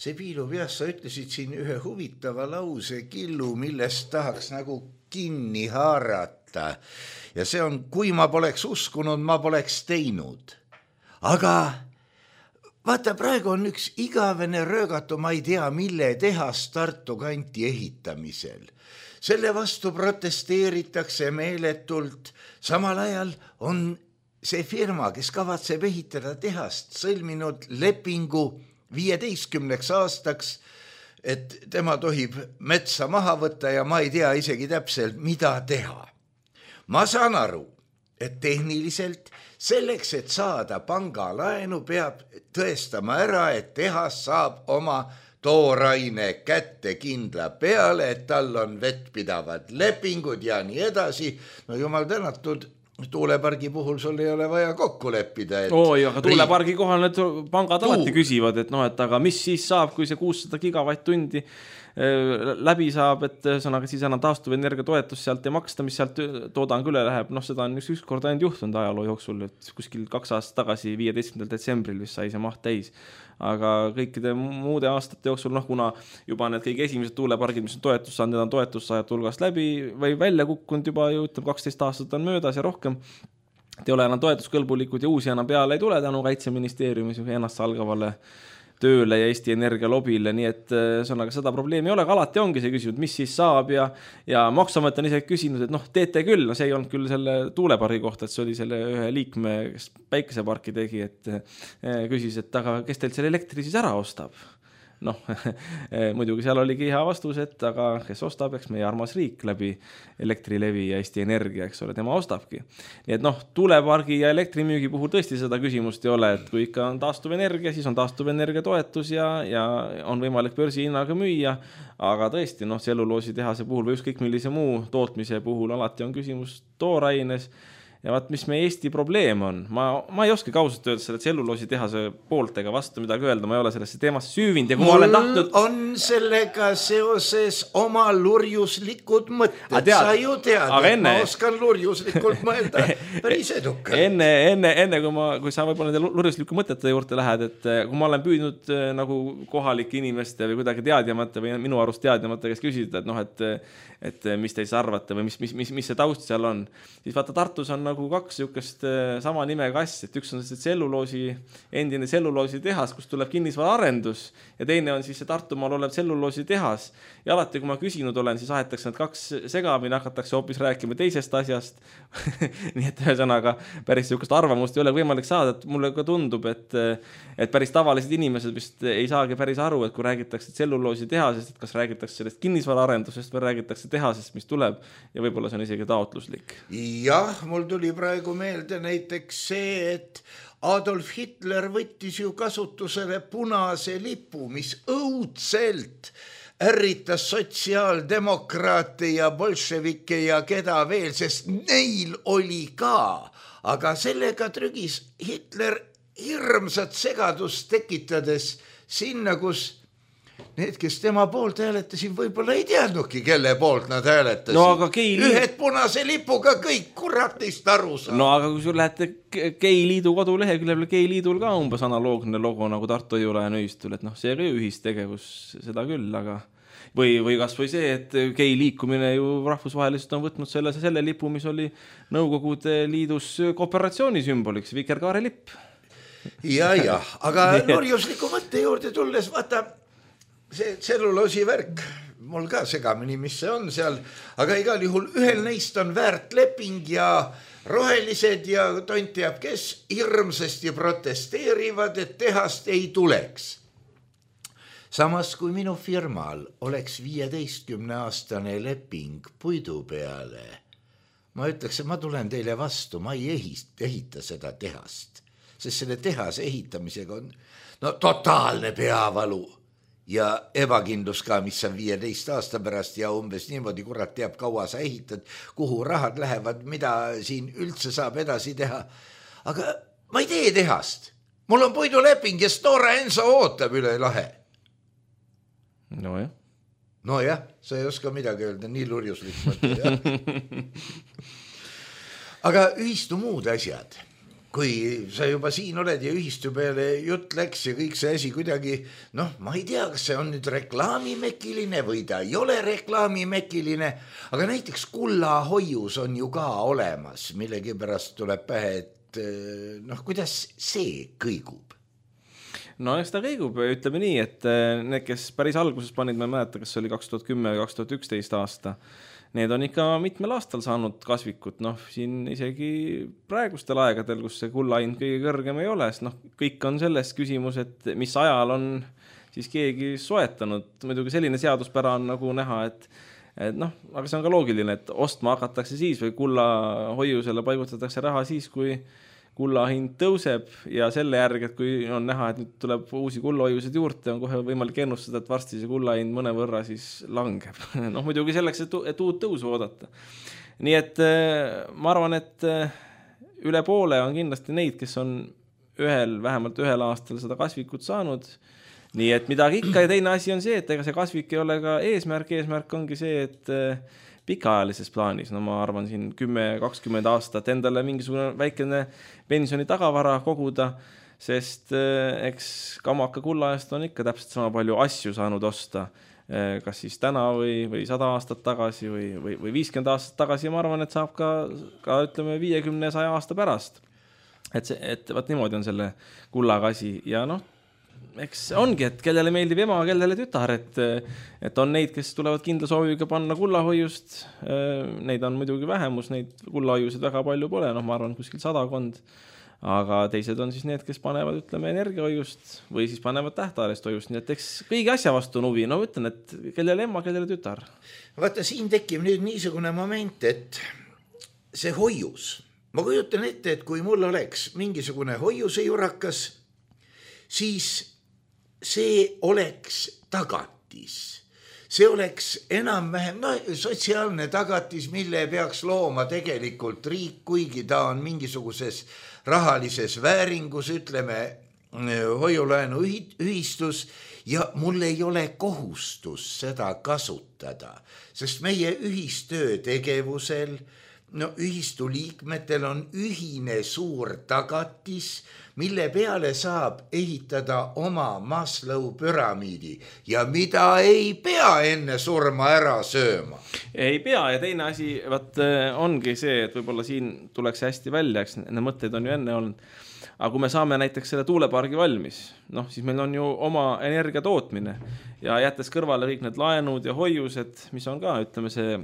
See piilub, jah, sa ütlesid siin ühe huvitava lause killu, millest tahaks nagu kinni haarata. Ja see on, kui ma poleks uskunud, ma poleks teinud. Aga vaata, praegu on üks igavene röögatu, ma ei tea, mille tehas Tartu kanti ehitamisel. Selle vastu protesteeritakse meeletult. Samal ajal on see firma, kes kavatseb ehitada tehast, sõlminud lepingu 15 aastaks, et tema tohib metsa maha võtta ja ma ei tea isegi täpselt, mida teha. Ma saan aru, et tehniliselt selleks, et saada pangalaenu, peab tõestama ära, et tehas saab oma tooraine kätte kindla peale, et tal on vettpidavad lepingud ja nii edasi. Jumal tänatud, tuulepargi puhul sul ei ole vaja kokku leppida. Aga tuulepargi kohal need pangad alati küsivad, et aga mis siis saab, kui see 600 gigavatt-tundi läbi saab, et sõnaga siis enam taastuvenergia toetus sealt ei maksta, mis sealt toodang üle läheb. Seda on üks kord ainult juhtunud ajaloo jooksul, et kuskil 2 aastat tagasi 15. detsembril vist sai see maht täis. Aga kõikide muude aastate jooksul, kuna juba need kõige esimesed tuulepargid, mis on toetus saanud, need on toetussaajad hulgast läbi või välja kukkunud juba, 12 aastat on möödas ja rohkem. Te ole enam toetuskõlbulikud ja uusi enam peale ei tule tänu Kaitseministeeriumis ennast salgavale tööle ja Eesti Energia lobile, nii et seda probleemi ei ole, aga alati ongi see küsinud, mis siis saab ja Maksuamet on isegi küsinud, et teete küll, see ei olnud küll selle tuulepargi kohta, et see oli selle ühe liikme, kes päikeseparki tegi, et küsis, et aga kes teilt selle elektri siis ära ostab? Muidugi seal oligi hea vastus, et aga kes ostab, eks meie armas riik läbi Elektrilevi ja Eesti Energia, eks ole, tema ostabki. Nii et tuulepargi ja elektrimüügi puhul tõesti seda küsimust ei ole, et kui ikka on taastuvenergia, siis on taastuvenergia toetus ja on võimalik börsihinnaga müüa, aga tõesti, tselluloosi tehase puhul või ükskõik millise muu tootmise puhul alati on küsimus tooraines. Ja vaat, mis meie Eesti probleem on, ma ei oska kausalt öelda selle tselluloosi tehase poolt ega vastu midagi öelda, ma ei ole sellesse teemasse süüvinud ja kui ma olen tahtnud... on sellega seoses oma lurjuslikud mõtted, sa ju tead, ma oskan lurjuslikult mõelda päris edukalt. Enne kui sa võib-olla nende lurjusliku mõtete juurde lähed, et kui ma olen püüdnud nagu kohalike inimeste või kuidagi teadjamata või minu arust teadjamata, kes küsida, et mis te siis arvate või mis see taust seal on, siis vaata Tartus on nagu 2 sihukest sama nimega asja, et üks on see endine tselluloosi tehas, kus tuleb kinnisvara arendus ja teine on siis see Tartumaal olev tselluloosi tehas ja alati kui ma küsinud olen, siis ahetakse need 2 segamini, hakatakse hoopis rääkima teisest asjast nii et ühesõnaga päris sihukest arvamust ei ole võimalik saada, et mulle ka tundub, et päris tavalised inimesed vist ei saagi päris aru, et kui räägitakse tselluloosi tehasest, et kas räägitakse sellest kinnisvara arendusest või räägitakse tehasest, mis tuleb ja võib-olla see on isegi taotluslik. Jah, mul tuli praegu meelde näiteks see, et Adolf Hitler võttis ju kasutusele punase lipu, mis õudselt ärritas sotsiaaldemokraate ja bolševikke ja keda veel, sest neil oli ka, aga sellega trügis Hitler hirmsat segadust tekitades sinna, kus need, kes tema poolt hääletasid, võib-olla ei teadnudki, kelle poolt nad hääletasid. No, aga ühed punase lipuga kõik kuratist aru saab. No aga kui sul lähete Geiliidu koduleheküljel, Geiliidul ka umbes analoogne logo nagu Tartu Hoiulaenu ühistul, et see ka ühistegevus, seda küll, aga või kas või see, et gei liikumine ju rahvusvaheliselt on võtnud selle lipu, mis oli Nõukogude Liidus kooperatsiooni sümboliks, vikerkaare lipp. Ja, aga norjusliku mõtte juurde tulles, vaata, see tselluloosi värk, mul ka segamini, mis see on seal, aga igal juhul ühel neist on väärt leping ja rohelised ja tont teab, kes hirmsasti protesteerivad, et tehast ei tuleks. Samas kui minu firmal oleks 15-aastane leping puidu peale, ma ütleks, et ma tulen teile vastu, ma ei ehita seda tehast, sest selle tehase ehitamisega on totaalne peavalu ja ebakindlus ka, mis on 15 aasta pärast ja umbes niimoodi, kurat teab, kaua sa ehitad, kuhu rahad lähevad, mida siin üldse saab edasi teha. Aga ma ei tee tehast, mul on puiduleping ja Stora Enso ootab üle lahe. Nojah, sa ei oska midagi öelda, nii lurjuslik mõte. Aga ühistu muud asjad, kui sa juba siin oled ja ühistu peale jutt läks ja kõik see asi kuidagi, ma ei tea, kas see on nüüd reklaamimekiline või ta ei ole reklaamimekiline, aga näiteks kullahoius on ju ka olemas, millegi pärast tuleb pähe, et kuidas see kõigub? No eks ta kõigub, ütleme nii, et need, kes päris alguses panid, ma ei mäleta, kas oli 2010 või 2011 aasta, need on ikka mitmel aastal saanud kasvikut, siin isegi praegustel aegadel, kus see kullahind kõige kõrgem ei ole, sest kõik on selles küsimus, et mis ajal on siis keegi soetanud, muidugi selline seaduspära on nagu näha, et aga see on ka loogiline, et ostma hakatakse siis või kullahoiusele paigutatakse raha siis, kui kullahind tõuseb ja selle järgi, et kui on näha, et nüüd tuleb uusi kullahoiused juurde, on kohe võimalik ennustada, et varsti see kullahind mõne võrra siis langeb. Muidugi selleks, et uut tõusu oodata. Nii et ma arvan, et üle poole on kindlasti neid, kes on vähemalt ühel aastal seda kasvikut saanud. Nii et midagi ikka ja teine asi on see, et ega see kasvik ei ole ka eesmärk ongi see, et pikaajalises plaanis, ma arvan siin 10-20 aastat endale mingisugune väikene pensioni tagavara koguda, sest eks kamaka kullaajast on ikka täpselt sama palju asju saanud osta, kas siis täna või 100 aastat tagasi või 50 aastat tagasi ja ma arvan, et saab ka ütleme 50-100 aasta pärast. Et vaat niimoodi on selle kullaga asi ja eks ongi, et kellele meeldib ema, kellele tütar, et on neid, kes tulevad kindla sooviga panna kullahoiust, neid on muidugi vähemus, neid kullahoiusid väga palju pole, ma arvan kuskil 100, aga teised on siis need, kes panevad, ütleme, energiahoiust või siis panevad tähtajalist hoiust, nii et eks kõigi asja vastu on huvi, ütlen, et kellele ema, kellele tütar. Vaata, siin tekib nüüd niisugune moment, et see hoius, ma kujutan ette, et kui mul oleks mingisugune hoiuse jurakas, siis see oleks tagatis. See oleks enam-vähem sotsiaalne tagatis, mille peaks looma tegelikult riik, kuigi ta on mingisuguses rahalises vääringus, ütleme, hoiulaenu ühistus ja mul ei ole kohustus seda kasutada, sest meie ühistöö tegevusel, ühistu liikmetel on ühine suur tagatis, mille peale saab ehitada oma Maslow püramiidi ja mida ei pea enne surma ära sööma. Ei pea ja teine asi ongi see, et võib-olla siin tuleks hästi välja, eks need mõtteid on ju enne olnud, aga kui me saame näiteks selle tuulepargi valmis, siis meil on ju oma energia tootmine ja jättes kõrvale kõik need laenud ja hoiused, mis on ka, ütleme see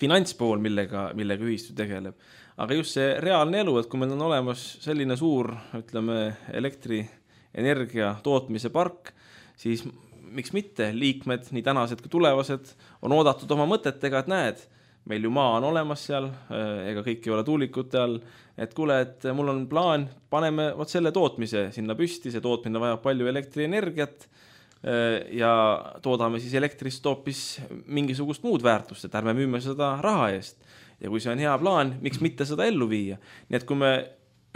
finantspool, millega ühistu tegeleb. Aga just see reaalne elu, et kui meil on olemas selline suur, ütleme, elektrienergia tootmise park, siis miks mitte liikmed, nii tänased kui tulevased, on oodatud oma mõtetega, et näed, meil ju maa on olemas seal, ega kõik ei ole tuulikute all, et kuule, et mul on plaan, paneme selle tootmise sinna püsti, see tootmine vajab palju elektrienergiat, ja toodame siis elektrist hoopis mingisugust muud väärtust, et ärme müüme seda raha eest. Ja kui see on hea plaan, miks mitte seda ellu viia? Nii et kui me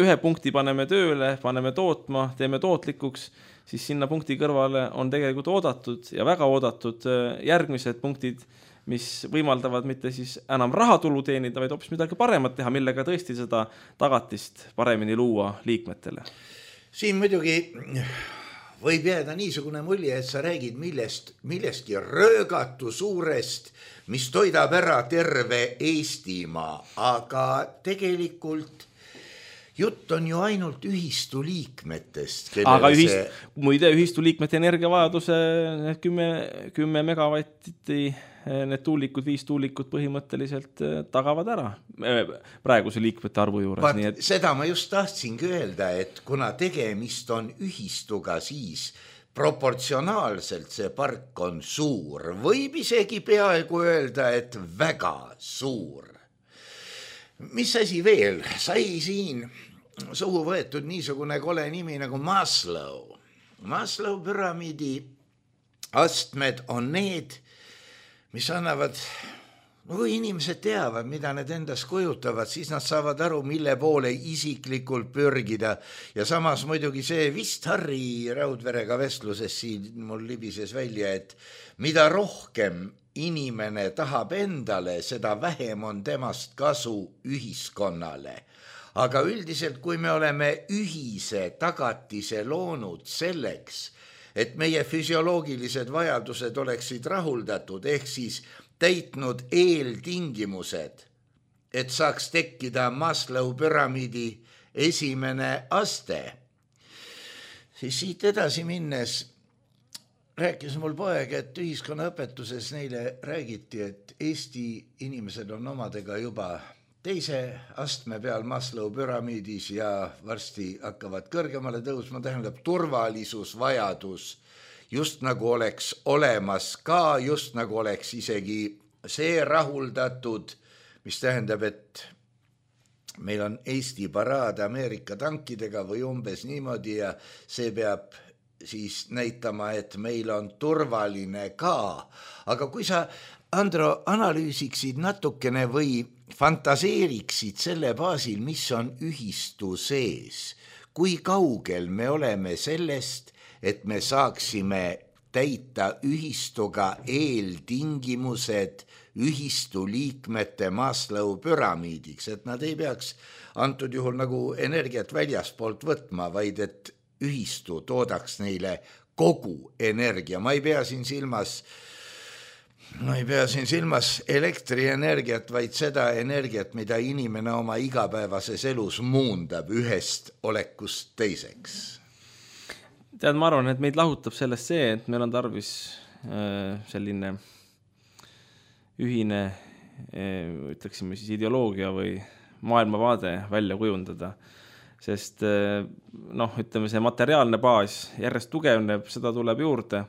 ühe punkti paneme tööle, paneme tootma, teeme tootlikuks, siis sinna punkti kõrvale on tegelikult oodatud ja väga oodatud järgmised punktid, mis võimaldavad mitte siis enam rahatulu teenida, vaid hoopis midagi paremat teha, millega tõesti seda tagatist paremini luua liikmetele. Siin muidugi võib jääda niisugune mulje, et sa räägid millestki röögatu suurest, mis toidab ära terve Eestimaa, aga tegelikult jutt on ju ainult ühistu liikmetest. Aga muide ühistu liikmete energiavajaduse 10 megavatti, need tuulikud, 5 tuulikud põhimõtteliselt tagavad ära praeguse liikmete arvu juures. Nii et... Seda ma just tahtsingi öelda, et kuna tegemist on ühistuga, siis proportsionaalselt see park on suur. Võib isegi peaaegu öelda, et väga suur. Mis asi veel? Sai siin suhu võetud niisugune kole nimi nagu Maslow. Maslow püramiidi astmed on need, mis annavad, kui inimesed teavad, mida need endas kujutavad, siis nad saavad aru, mille poole isiklikult pürgida. Ja samas muidugi see vist Harri Raudverega vestluses siin mul libises välja, et mida rohkem inimene tahab endale, seda vähem on temast kasu ühiskonnale. Aga üldiselt, kui me oleme ühise tagatise loonud selleks, et meie füsioloogilised vajadused oleksid rahuldatud, ehk siis täitnud eeltingimused, et saaks tekkida Maslow püramiidi esimene aste, siis siit edasi minnes rääkis mul poeg, et ühiskonnaõpetuses neile räägiti, et Eesti inimesed on omadega juba teise astme peal Maslow püramiidis ja varsti hakkavad kõrgemale tõusma, tähendab turvalisusvajadus, just nagu oleks olemas ka, just nagu oleks isegi see rahuldatud, mis tähendab, et meil on Eesti paraad Ameerika tankidega või umbes niimoodi ja see peab siis näitama, et meil on turvaline ka. Aga kui sa, Andro, analüüsiksid natukene või fantaseeriksid selle baasil, mis on ühistu sees, kui kaugel me oleme sellest, et me saaksime täita ühistuga eeltingimused ühistu liikmete Maslow püramiidiks, et nad ei peaks antud juhul nagu energiat väljaspoolt võtma, vaid et ühistu toodaks neile kogu energia. Ma ei pea siin silmas elektrienergiat, vaid seda energiat, mida inimene oma igapäevases elus muundab ühest olekust teiseks. Tead, ma arvan, et meid lahutab sellest see, et meil on tarvis selline ühine, ütleksime siis ideoloogia või maailmavaade välja kujundada. Sest ütleme, see materiaalne baas järjest tugevneb, seda tuleb juurde.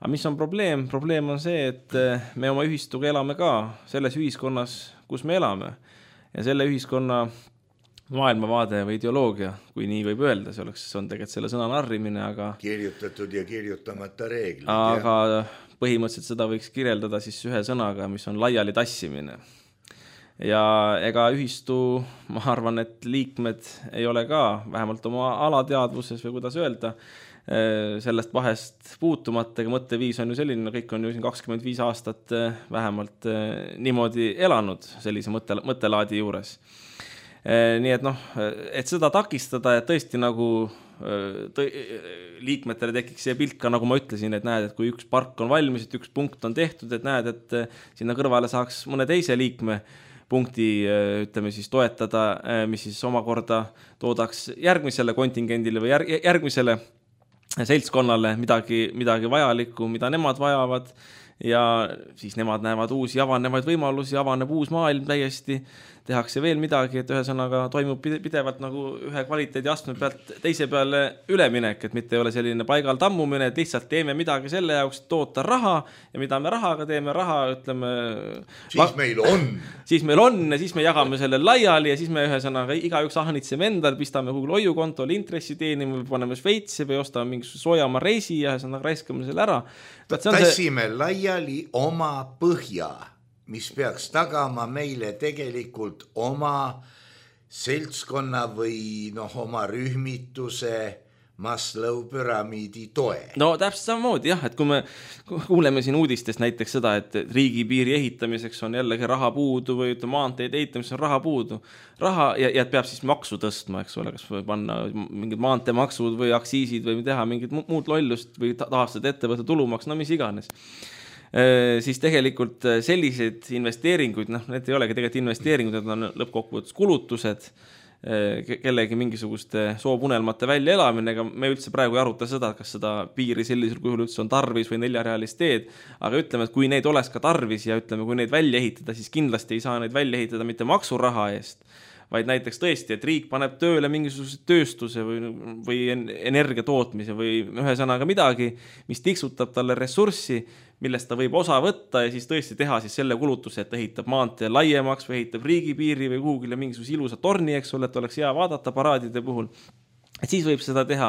Aga mis on probleem? Probleem on see, et me oma ühistuga elame ka selles ühiskonnas, kus me elame. Ja selle ühiskonna maailmavaade või ideoloogia, kui nii võib öelda, see on tegelikult selle sõna narrimine, aga... Kirjutatud ja kirjutamata reeglid. Aga põhimõtteliselt seda võiks kirjeldada siis ühe sõnaga, mis on laiali tassimine. Ja ega ühistu, ma arvan, et liikmed ei ole ka, vähemalt oma alateadvuses või kuidas öelda, sellest vahest puutumata, ega mõtteviis on ju selline, kõik on ju 25 aastat vähemalt niimoodi elanud sellise mõttelaadi juures. Nii et et seda takistada, et tõesti nagu liikmetele tekiks see pilt ka, nagu ma ütlesin, et näed, et kui üks park on valmis, et üks punkt on tehtud, et näed, et sinna kõrvale saaks mõne teise liikme punkti, ütleme siis toetada, mis siis omakorda toodaks järgmisele kontingendile või järgmisele seltskonnale midagi vajalikku, mida nemad vajavad ja siis nemad näevad uusi avanevaid võimalusi, avaneb uus maailm täiesti, tehakse veel midagi, et ühesõnaga toimub pidevalt nagu ühe kvaliteedi astme pealt teise peale üleminek, et mitte ei ole selline paigal tammumine, et lihtsalt teeme midagi selle jaoks, toota raha ja mida me rahaga teeme, ütleme... Siis meil on ja siis me jagame selle laiali ja siis me ühesõnaga igaüks ahnitseme endal, pistame Google hoiukontole intressi teenime või paneme Šveitsi või ostame mingisuguse soojama reisi ja ühesõnaga raiskame selle ära. Tassime laiali oma põhja, mis peaks tagama meile tegelikult oma seltskonna või oma rühmituse Maslow püramiidi toe. No täpselt samamoodi jah, et kui me kuuleme siin uudistest näiteks seda, et riigipiiri ehitamiseks on jällegi raha puudu või maanteed ehitamiseks on raha puudu, ja et peab siis maksu tõstma, eks ole, kas või panna mingid maanteemaksud või aktsiisid või teha mingid muud lollust või taastada ettevõtte tulumaks, no mis iganes. Siis tegelikult sellised investeeringuid, need ei olegi tegelikult investeeringud, need on lõppkokkuvõttes kulutused, kellegi mingisuguste soopunelmate välja elamine, ega me üldse praegu ei aruta seda, kas seda piiri sellisel kujul üldse on tarvis või 4-realist teed, aga ütleme, et kui neid oleks ka tarvis ja ütleme, kui neid välja ehitada, siis kindlasti ei saa neid välja ehitada mitte maksuraha eest, vaid näiteks tõesti, et riik paneb tööle mingisuguse tööstuse või energia tootmise või ühesõnaga midagi, mis tiksutab talle ressurssi, millest ta võib osa võtta ja siis tõesti teha siis selle kulutuse, et ehitab maantee laiemaks või ehitab riigipiiri või kuhugile mingisuguse ilusa torni, eks ole, et oleks hea vaadata paraadide puhul. Et siis võib seda teha,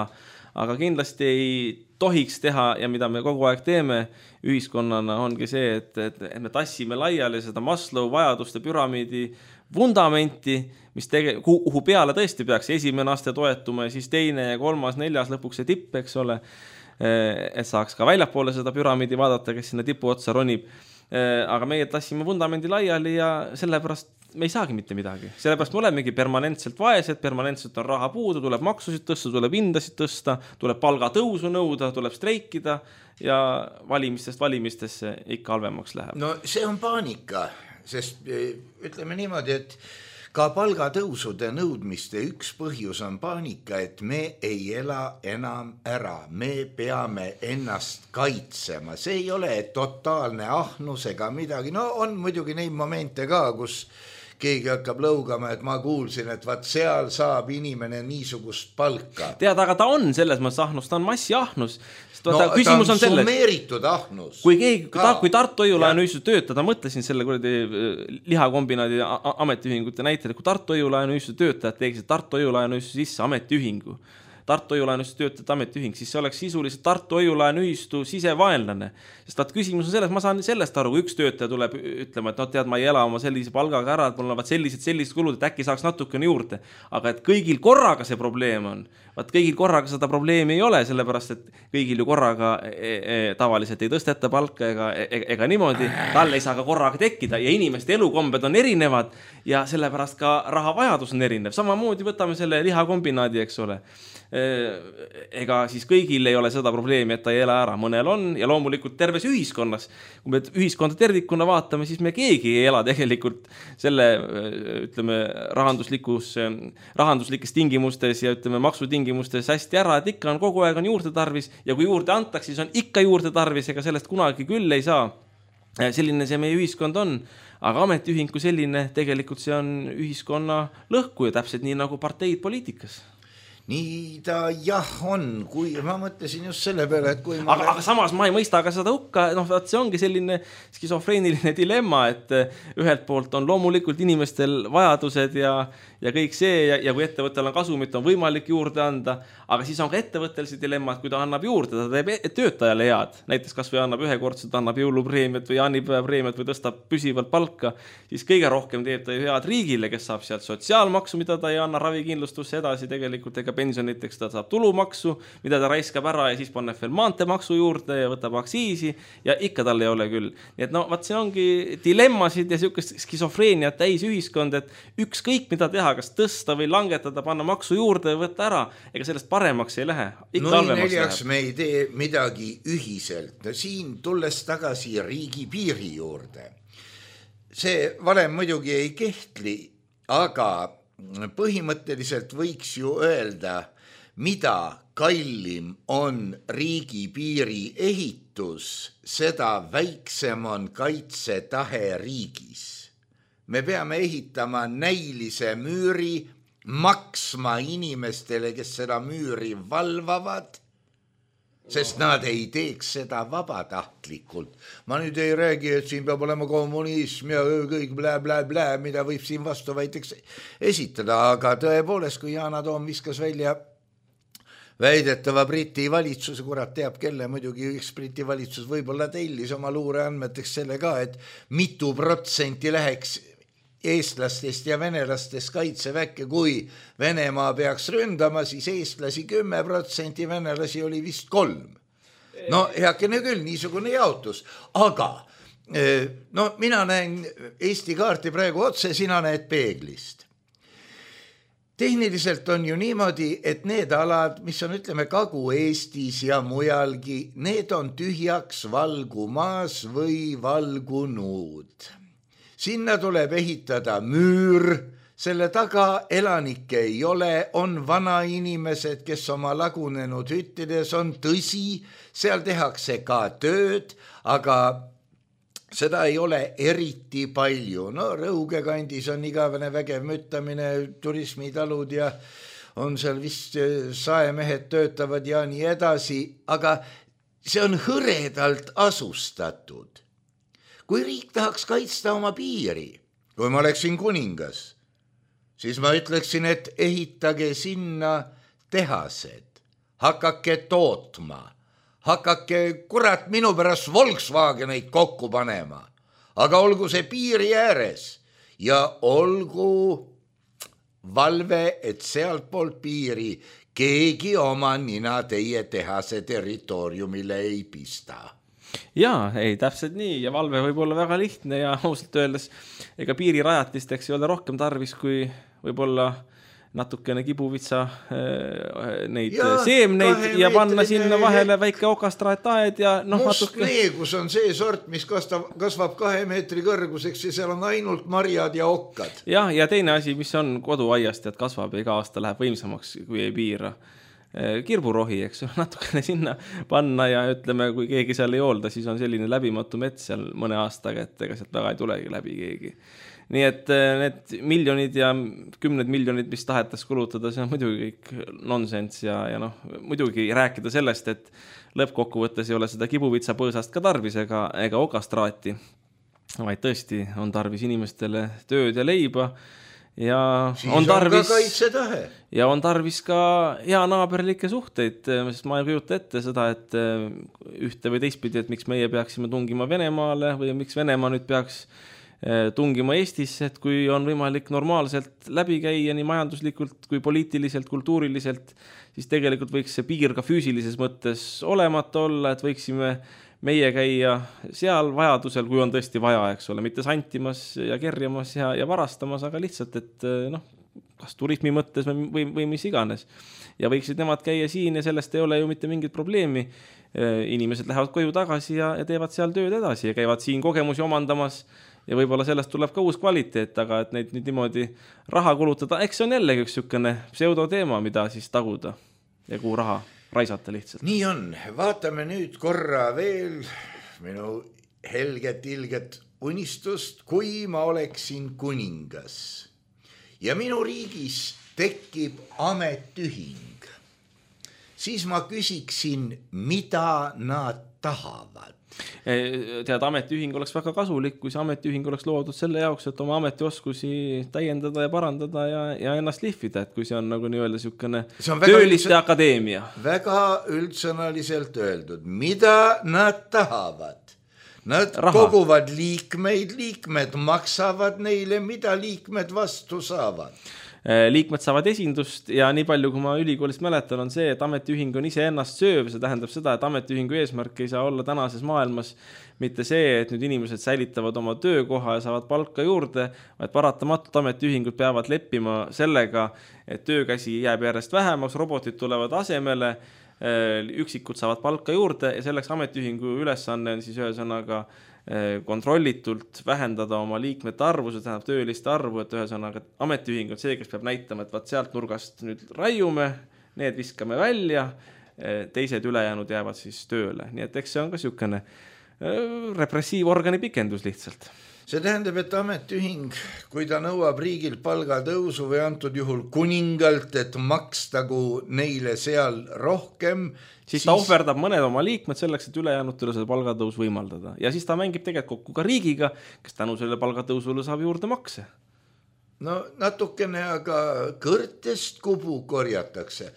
aga kindlasti ei tohiks teha ja mida me kogu aeg teeme ühiskonnana ongi see, et me tassime laiali seda Maslow vajaduste püramiidi vundamenti, kuhu peale tõesti peaks esimene aste toetuma ja siis teine ja kolmas, neljas lõpuks see tipp, eks ole, et saaks ka väljapoole seda püramiidi vaadata, kes sinna tipu otsa ronib. Aga meie tassime vundamendi laiali ja sellepärast me ei saagi mitte midagi. Sellepärast me olemegi permanentselt vaesed, permanentselt on raha puudu, tuleb maksusid tõsta, tuleb hindasid tõsta, tuleb palgatõusu nõuda, tuleb streikida ja valimistesse ikka halvemaks läheb. No see on paanika, sest ütleme niimoodi, et ka palgatõusude nõudmiste üks põhjus on paanika, et me ei ela enam ära, me peame ennast kaitsema, see ei ole totaalne ahnus ega midagi, no on muidugi neid momente ka, kus keegi hakkab lõugama, et ma kuulsin, et vaat seal saab inimene niisugust palka. Tead, aga ta on selles mõttes ahnus, ta on massiahnus. No ta on summeeritud ahnus. Kui Tartu Hoiu-laenu ühistu töötada, mõtlesin selle lihakombinaadi ametiühingute näitel, kui Tartu Hoiu-laenu ühistu töötajad teeksid Tartu Hoiu-laenu ühistu sisse ametiühingu, Tartu Hoiu-laenu ühistu töötajate ametiühing, siis see oleks sisuliselt Tartu Hoiu-laenu ühistu sisevaenlane. Sest vaat küsimus on selles, ma saan sellest aru, kui üks töötaja tuleb ütlema, et tead, ma ei ela oma sellise palgaga ära, et mul on sellised kulud, et äkki saaks natukene juurde. Aga et kõigil korraga see probleem on, vaat kõigil korraga seda probleemi ei ole, sellepärast, et kõigil ju korraga tavaliselt ei tõsteta palka ega niimoodi, tal ei saa ka korraga tekkida ja inimeste elukombed on erinevad ja sellepärast ka rahavajadus on erinev. Samamoodi võtame selle lihakombinaadi, eks ole. Ega siis kõigil ei ole seda probleemi, et ta ei ela ära, mõnel on ja loomulikult terves ühiskonnas, kui me ühiskonda tervikuna vaatame, siis me keegi ei ela tegelikult selle, ütleme, rahanduslikes tingimustes ja ütleme, maksutingimustes hästi ära, et ikka on kogu aeg on juurde tarvis ja kui juurde antaks, siis on ikka juurde tarvis, ega sellest kunagi küll ei saa. Selline see meie ühiskond on, aga ametiühing kui selline, tegelikult see on ühiskonna lõhku ja täpselt nii nagu parteid poliitikas. Nii ta jah on, kui ma mõtlesin just selle peale, et kui aga samas ma ei mõista ka seda hukka, see ongi selline skisofreeniline dilemma, et ühelt poolt on loomulikult inimestel vajadused ja kõik see ja kui ettevõttel on kasumit, on võimalik juurde anda, aga siis on ka ettevõttel see dilemma, et kui ta annab juurde, ta teeb töötajale head, näiteks kas või annab ühekordselt, annab jõulupreemiat või jaanipäevapreemiat või tõstab püsivalt palka, siis kõige rohkem teeb ta ju head riigile, kes saab sealt sotsiaalmaksu, mida ta ei anna ravikindlustusse edasi tegelikult, ega pensioniteks ta saab tulumaksu, mida ta raiskab ära ja siis paneb veel maanteemaksu juurde ja võtab aktsiisi ja ikka tal ei ole küll. Nii et see ongi dilemmasid ja siukest skisofreeniat täis ühiskond, et ükskõik mida teha, kas tõsta või langetada, panna maksu juurde ja võtta ära, ega sellest paremaks ei lähe. Neljaks me ei tee midagi ühiselt. Siin tulles tagasi riigipiiri juurde. See valem muidugi ei kehtli, aga põhimõtteliselt võiks ju öelda, mida kallim on riigipiiri ehitus, seda väiksem on kaitsetahe riigis. Me peame ehitama näilise müüri, maksma inimestele, kes seda müüri valvavad, sest nad ei teeks seda vabatahtlikult. Ma nüüd ei räägi, et siin peab olema kommunism ja kõik blä, mida võib siin vastu väiteks esitada, aga tõepoolest, kui Yana Toom viskas välja väidetava Briti valitsuse, kurat teab kelle, muidugi üks Briti valitsus võib-olla tellis oma luureandmeteks selle ka, et mitu protsenti läheks eestlastest ja venelastest kaitseväkke, kui Venemaa peaks ründama, siis eestlasi 10%, venelasi oli vist 3%. No heakene küll, niisugune jaotus, aga no mina näen Eesti kaarti praegu otse, sina näed peeglist. Tehniliselt on ju niimoodi, et need alad, mis on ütleme Kagu-Eestis ja mujalgi, need on tühjaks valgumaas või valgunud. Sinna tuleb ehitada müür, selle taga elanikke ei ole, on vanainimesed, kes oma lagunenud hüttides on, tõsi, seal tehakse ka tööd, aga seda ei ole eriti palju. No Rõuge kandis on igavene vägev müttamine, turismitalud ja on seal vist saemehed töötavad ja nii edasi, aga see on hõredalt asustatud. Kui riik tahaks kaitsta oma piiri, kui ma oleksin kuningas, siis ma ütleksin, et ehitage sinna tehased, hakake tootma, hakake kurat minu pärast Volkswageneid kokku panema, aga olgu see piiri ääres ja olgu valve, et sealt poolt piiri keegi oma nina teie tehase territooriumile ei pista. Jaa, ei, täpselt nii ja valve võib olla väga lihtne ja ausalt öeldes ega piirirajatisteks ei ole rohkem tarvis kui võib-olla natukene kibuvitsa neid seemneid ja panna sinna vahele väike okastraataed ja must neegus on see sort, mis kasvab 2 meetri kõrguseks ja seal on ainult marjad ja okkad. Ja teine asi, mis on koduaiast, et kasvab ja iga aasta läheb võimsamaks, kui ei piira. Kirburohi, eks natukene sinna panna ja ütleme, kui keegi seal ei hoolda, siis on selline läbimatu mets seal mõne aastaga, et ega sealt väga ei tulegi läbi keegi. Nii et need miljonid ja 10 miljonid, mis tahetas kulutada, see on muidugi kõik nonsense ja muidugi rääkida sellest, et lõppkokkuvõttes ei ole seda kibuvitsa põõsast ka tarvis ega okastraati, vaid tõesti on tarvis inimestele tööd ja leiba ja on tarvis ka hea naaberlikke suhteid, sest ma ei kujuta ette seda, et ühte või teistpidi, et miks meie peaksime tungima Venemaale või miks Venemaa nüüd peaks tungima Eestisse, et kui on võimalik normaalselt läbi käia nii majanduslikult kui poliitiliselt, kultuuriliselt, siis tegelikult võiks see piir ka füüsilises mõttes olemata olla, et võiksime meie käia seal vajadusel, kui on tõesti vaja, eks ole, mitte santimas ja kerjamas ja varastamas, aga lihtsalt, et kas turismi mõttes või mis iganes. Ja võiksid nemad käia siin ja sellest ei ole ju mitte mingit probleemi. Inimesed lähevad koju tagasi ja teevad seal tööd edasi ja käivad siin kogemusi omandamas ja võib-olla sellest tuleb ka uus kvaliteet, aga et neid nüüd niimoodi raha kulutada, eks see on jällegi üks sükene pseudoteema, mida siis taguda ja kuhu raha raisata lihtsalt. Nii on, vaatame nüüd korra veel minu helget ilget unistust, kui ma oleksin kuningas ja minu riigis tekib ametühing, siis ma küsiksin, mida nad tahavad. Tead, ametiühing oleks väga kasulik, kui see ametiühing oleks loodud selle jaoks, et oma ametioskusi täiendada ja parandada ja ennast lihvida, et kui see on nagu nii-öelda sükene tööliste akadeemia. Väga üldsõnaliselt öeldud, mida nad tahavad. Nad koguvad liikmed maksavad neile, mida liikmed vastu saavad. Liikmed saavad esindust ja nii palju, kui ma ülikoolist mäletan, on see, et ametiühing on ise ennast sööv. See tähendab seda, et ametiühingu eesmärk ei saa olla tänases maailmas mitte see, et nüüd inimesed säilitavad oma töökoha ja saavad palka juurde, vaid paratamatult ametiühingud peavad leppima sellega, et töökäsi jääb järjest vähemaks, robotid tulevad asemele, üksikud saavad palka juurde ja selleks ametiühingu ülesanne on siis ühesõnaga kontrollitult vähendada oma liikmete arvu, see tähendab tööliste arvu, et ühesõnaga ametiühing on see, kes peab näitama, et vaat sealt nurgast nüüd raiume, need viskame välja, teised ülejäänud jäävad siis tööle. Nii et eks see on ka sükene repressiivorgani pikendus lihtsalt. See tähendab, et ametiühing, kui ta nõuab riigilt palgatõusu või antud juhul kuningalt, et makstagu neile seal rohkem, siis ta ohverdab mõned oma liikmed selleks, et ülejäänutele seda palgatõus võimaldada. Ja siis ta mängib tegelikult kokku ka riigiga, kes tänu selle palgatõusule saab juurde makse. no natukene, aga kõrtest kubu korjatakse.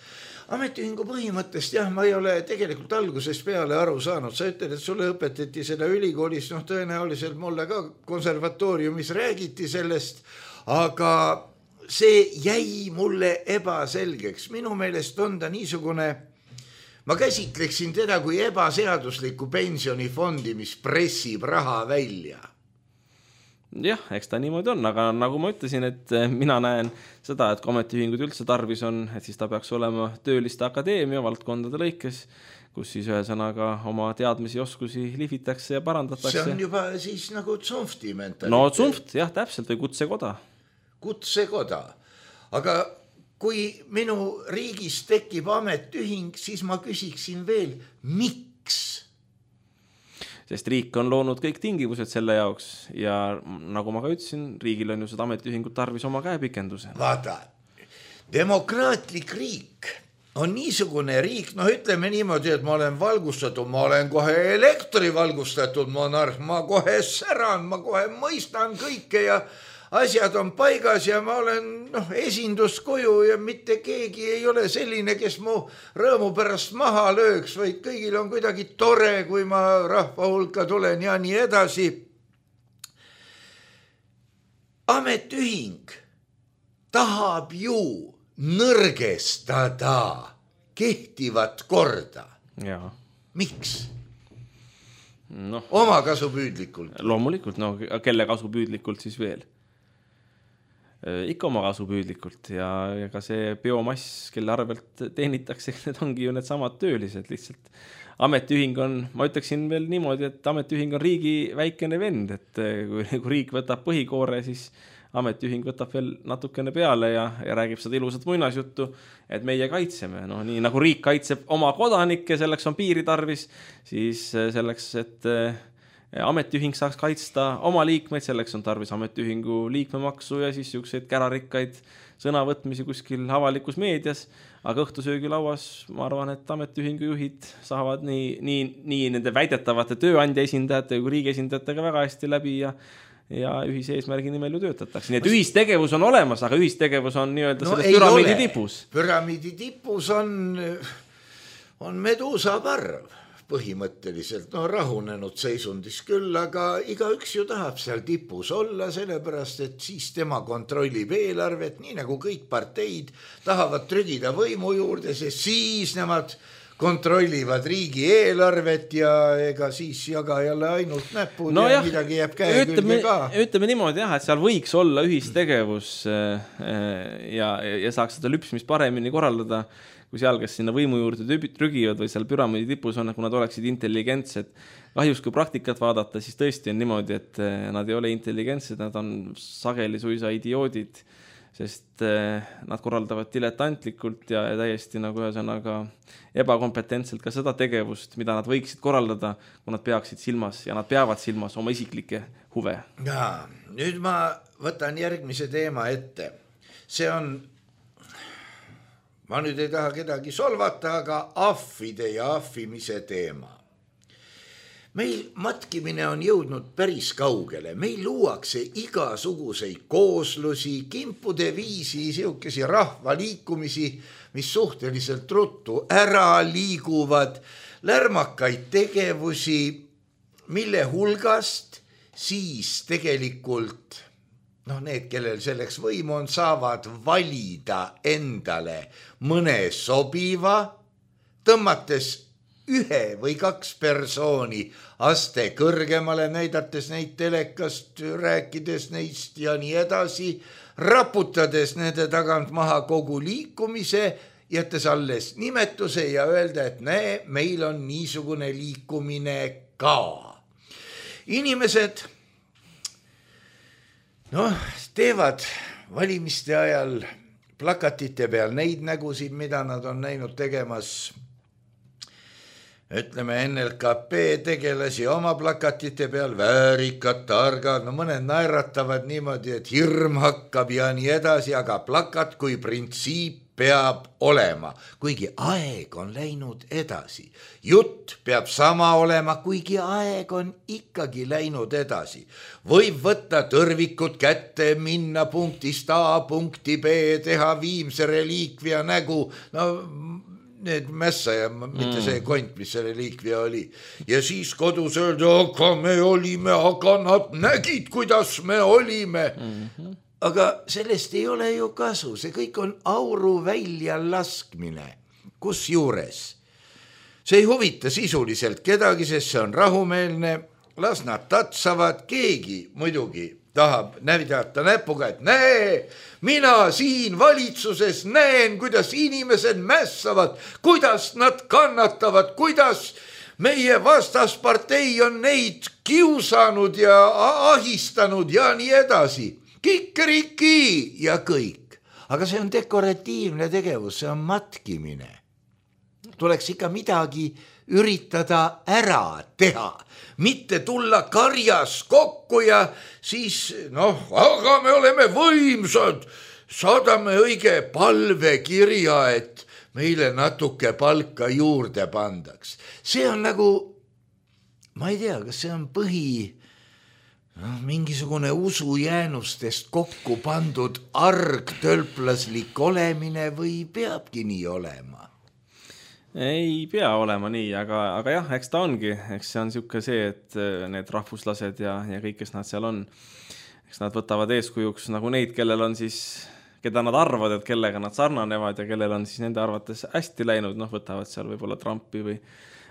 Ametiühingu põhimõttest jah, ma ei ole tegelikult algusest peale aru saanud. Sa ütled, et sulle õpetati seda ülikoolis, tõenäoliselt mulle ka konservatooriumis räägiti sellest, aga see jäi mulle ebaselgeks. Minu meelest on ta niisugune, ma käsitleksin teda kui ebaseaduslikku pensionifondi, mis pressib raha välja. Jah, eks ta niimoodi on, aga nagu ma ütlesin, et mina näen seda, et kui ametiühingud üldse tarvis on, et siis ta peaks olema tööliste akadeemia valdkondade lõikes, kus siis ühesõnaga oma teadmisi ja oskusi lihvitakse ja parandatakse. See on juba siis nagu Zunfti mentaliteet. No Zunft, jah, täpselt, või kutsekoda. Kutsekoda. Aga kui minu riigis tekib ametiühing, siis ma küsiksin veel, miks? Sest riik on loonud kõik tingimused selle jaoks ja nagu ma ka ütlesin, riigil on ju seda ametiühingut tarvis oma käepikenduse. Vaata, demokraatlik riik on niisugune riik, ütleme niimoodi, et ma olen valgustatud, ma olen kohe elektrivalgustatud monarh, ma kohe säran, ma kohe mõistan kõike ja asjad on paigas ja ma olen esinduskoju ja mitte keegi ei ole selline, kes mu rõõmu pärast maha lööks, vaid kõigil on kuidagi tore, kui ma rahva hulka tulen ja nii edasi. Ametiühing tahab ju nõrgestada kehtivat korda. Ja. Miks? Oma kasupüüdlikult. Loomulikult, kelle kasupüüdlikult siis veel? Ikka oma kasupüüdlikult ja ka see biomass, kelle arvelt teenitakse, need ongi ju need samad töölised lihtsalt. Ametiühing on, ma ütleksin veel niimoodi, et ametiühing on riigi väikene vend, et kui riik võtab põhikoore, siis ametiühing võtab veel natukene peale ja räägib seda ilusat muinasjuttu, et meie kaitseme. Nii nagu riik kaitseb oma kodanikke, selleks on piiri tarvis, siis selleks, et ametiühing saaks kaitsta oma liikmeid, selleks on tarvis ametiühingu liikmemaksu ja siis siukseid kärarikkaid sõnavõtmisi kuskil avalikus meedias, aga õhtusöögilauas ma arvan, et ametiühingu juhid saavad nii nende väidetavate tööandja esindajate kui riigi esindajatega väga hästi läbi ja ühise eesmärgi nimel ju töötatakse. Nii et ühistegevus on olemas, aga ühistegevus on nii-öelda selles püramiidi tipus. Püramiidi tipus on meduusa parv. Põhimõtteliselt rahunenud seisundis küll, aga igaüks ju tahab seal tipus olla, sellepärast, et siis tema kontrollib eelarvet, nii nagu kõik parteid tahavad trügida võimu juurde, sest siis nemad kontrollivad riigi eelarvet ja ega siis jaga jälle ainult näpud ja midagi jääb käe külge ka. Ütleme niimoodi jah, et seal võiks olla ühistegevus ja saaks seda lüpsmist paremini korraldada, kui seal, kes sinna võimu juurde trügivad või seal püramiidi tipus on, kui nad oleksid intelligentsed. Kahjuks, kui praktikat vaadata, siis tõesti on niimoodi, et nad ei ole intelligentsed, nad on sageli suisa idioodid, sest nad korraldavad diletantlikult ja täiesti nagu ühesõnaga ebakompetentselt ka seda tegevust, mida nad võiksid korraldada, kui nad peaksid silmas ja nad peavad silmas oma isiklikke huve. Ja, nüüd ma võtan järgmise teema ette. See on ma nüüd ei taha kedagi solvata, aga ahvide ja ahvimise teema. Meil matkimine on jõudnud päris kaugele. Meil luuakse igasuguseid kooslusi, kimpude viisi, siukesi rahvaliikumisi, mis suhteliselt ruttu ära liiguvad, lärmakaid tegevusi, mille hulgast siis tegelikult need, kellel selleks võimu on, saavad valida endale mõne sobiva, tõmmates 1 või 2 persooni aste kõrgemale, näidates neid telekast, rääkides neist ja nii edasi, raputades nende tagant maha kogu liikumise, jättes alles nimetuse ja öelda, et meil on niisugune liikumine ka. Inimesed teevad valimiste ajal plakatite peal neid nägusid, mida nad on näinud tegemas, ütleme NLKP tegelasi oma plakatite peal, väärikad, targad, mõned naeratavad niimoodi, et hirm hakkab ja nii edasi, aga plakat kui printsiip peab olema, kuigi aeg on läinud edasi. Jutt peab sama olema, kuigi aeg on ikkagi läinud edasi. Võib võtta tõrvikud kätte, minna punktist A punkti B, teha viimse reliikvia nägu, no need mässa ja mitte see kont, mis see reliikvia oli. Ja siis kodus öelda, aga me olime, aga nad nägid, kuidas me olime. Aga sellest ei ole ju kasu, see kõik on auru välja laskmine. Kus juures? See ei huvita sisuliselt kedagi, sest see on rahumeelne, las nad tatsavad, keegi muidugi tahab näidata näpuga, et näe, mina siin valitsuses näen, kuidas inimesed mässavad, kuidas nad kannatavad, kuidas meie vastaspartei on neid kiusanud ja ahistanud ja nii edasi. Kikeriki ja kõik. Aga see on dekoratiivne tegevus, see on matkimine. Tuleks ikka midagi üritada ära teha, mitte tulla karjas kokku ja siis, aga me oleme võimsad, saadame õige palvekirja, et meile natuke palka juurde pandaks. See on nagu, ma ei tea, kas see on mingisugune usujäänustest kokku pandud argtölplaslik olemine või peabki nii olema? Ei pea olema nii, aga jah, eks ta ongi. Eks see on see, et need rahvuslased ja kõik, kes nad seal on, eks nad võtavad eeskujuks nagu neid, kellel on siis, keda nad arvavad, et kellega nad sarnanevad ja kellel on siis nende arvates hästi läinud, võtavad seal võib-olla Trumpi või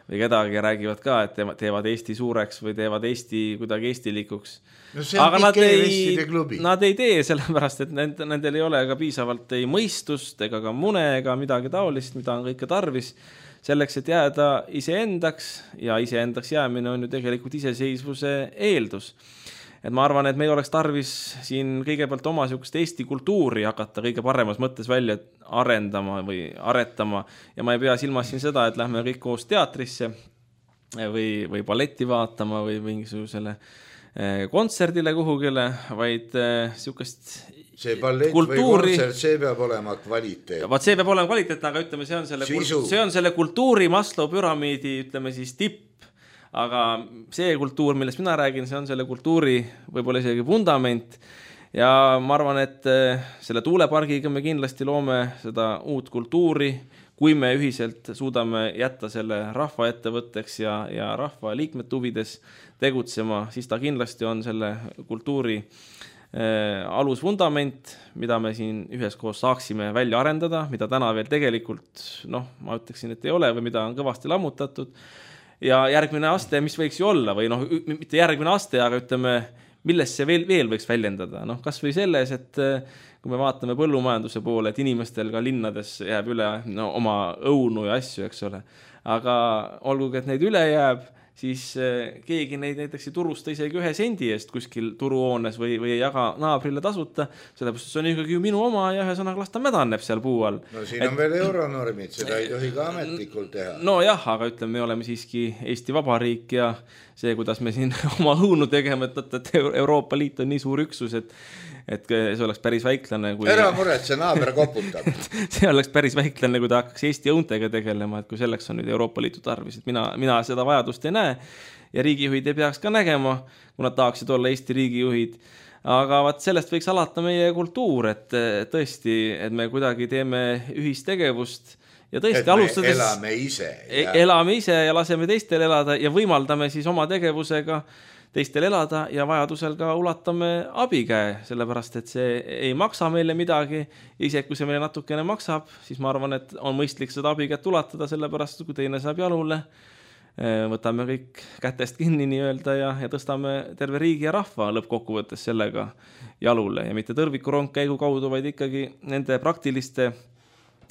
kedagi ja räägivad ka, et teevad Eesti suureks või teevad Eesti kuidagi eestilikuks. No aga nad ei tee sellepärast, et nendel ei ole ka piisavalt ei mõistust ega ka mune ega midagi taolist, mida on kõike tarvis selleks, et jääda iseendaks ja iseendaks jäämine on ju tegelikult iseseisvuse eeldus. Et ma arvan, et meil oleks tarvis siin kõigepealt oma Eesti kultuuri hakata kõige paremas mõttes välja arendama või aretama ja ma ei pea silmas siin seda, et lähme kõik koos teatrisse või balletti vaatama või mingisugusele kontserdile kuhugile, vaid siukest see ballett kultuuri... või kontsert, see peab olema kvaliteet. See peab olema kvaliteet, aga ütleme, see on selle kultuuri Maslow püramiidi, ütleme siis tipp. Aga see kultuur, millest mina räägin, see on selle kultuuri võib-olla isegi vundament ja ma arvan, et selle tuulepargiga me kindlasti loome seda uut kultuuri, kui me ühiselt suudame jätta selle rahva ettevõtteks ja rahva liikmete huvides tegutsema, siis ta kindlasti on selle kultuuri alusvundament, mida me siin üheskoos saaksime välja arendada, mida täna veel tegelikult, ma ütleksin, et ei ole või mida on kõvasti lammutatud. Ja järgmine aste, mis võiks ju olla või mitte järgmine aste, aga ütleme, millest see veel võiks väljendada. Kas või selles, et kui me vaatame põllumajanduse poole, et inimestel ka linnades jääb üle oma õunu ja asju, eks ole. Aga olgugi, et neid üle jääb, siis keegi neid näiteks ei turusta isegi 1 sendi eest kuskil turuhoones või ei jaga naabrile tasuta, sellepärast see on ikkagi ju minu oma ja ühesõnaga las ta mädaneb seal puu all. No siin on veel euronormid, seda ei tohi ka ametlikult teha. No jah, aga ütleme, me oleme siiski Eesti Vabariik ja see, kuidas me siin oma õunu tegeme, et Euroopa Liit on nii suur üksus, et see oleks päris väiklane. Ära muret, see naaber koputab. See oleks päris väiklane, kui ta hakkaks Eesti õuntega tegelema, et kui selleks on nüüd Euroopa Liitu tarvis, et mina seda vajadust ei näe ja riigijuhid ei peaks ka nägema, kui nad tahaksid olla Eesti riigijuhid. Aga sellest võiks alata meie kultuur, et tõesti, et me kuidagi teeme ühistegevust ja tõesti et alustades elame ise ja laseme teistel elada ja võimaldame siis oma tegevusega teistel elada ja vajadusel ka ulatame abikäe, sellepärast et see ei maksa meile midagi. Isegi kui see meile natukene maksab, siis ma arvan, et on mõistlik seda abikätt ulatada, sellepärast kui teine saab jalule, võtame kõik kätest kinni nii-öelda ja tõstame terve riigi ja rahva lõppkokkuvõttes sellega jalule ja mitte tõrvikurong käigu kaudu, vaid ikkagi nende praktiliste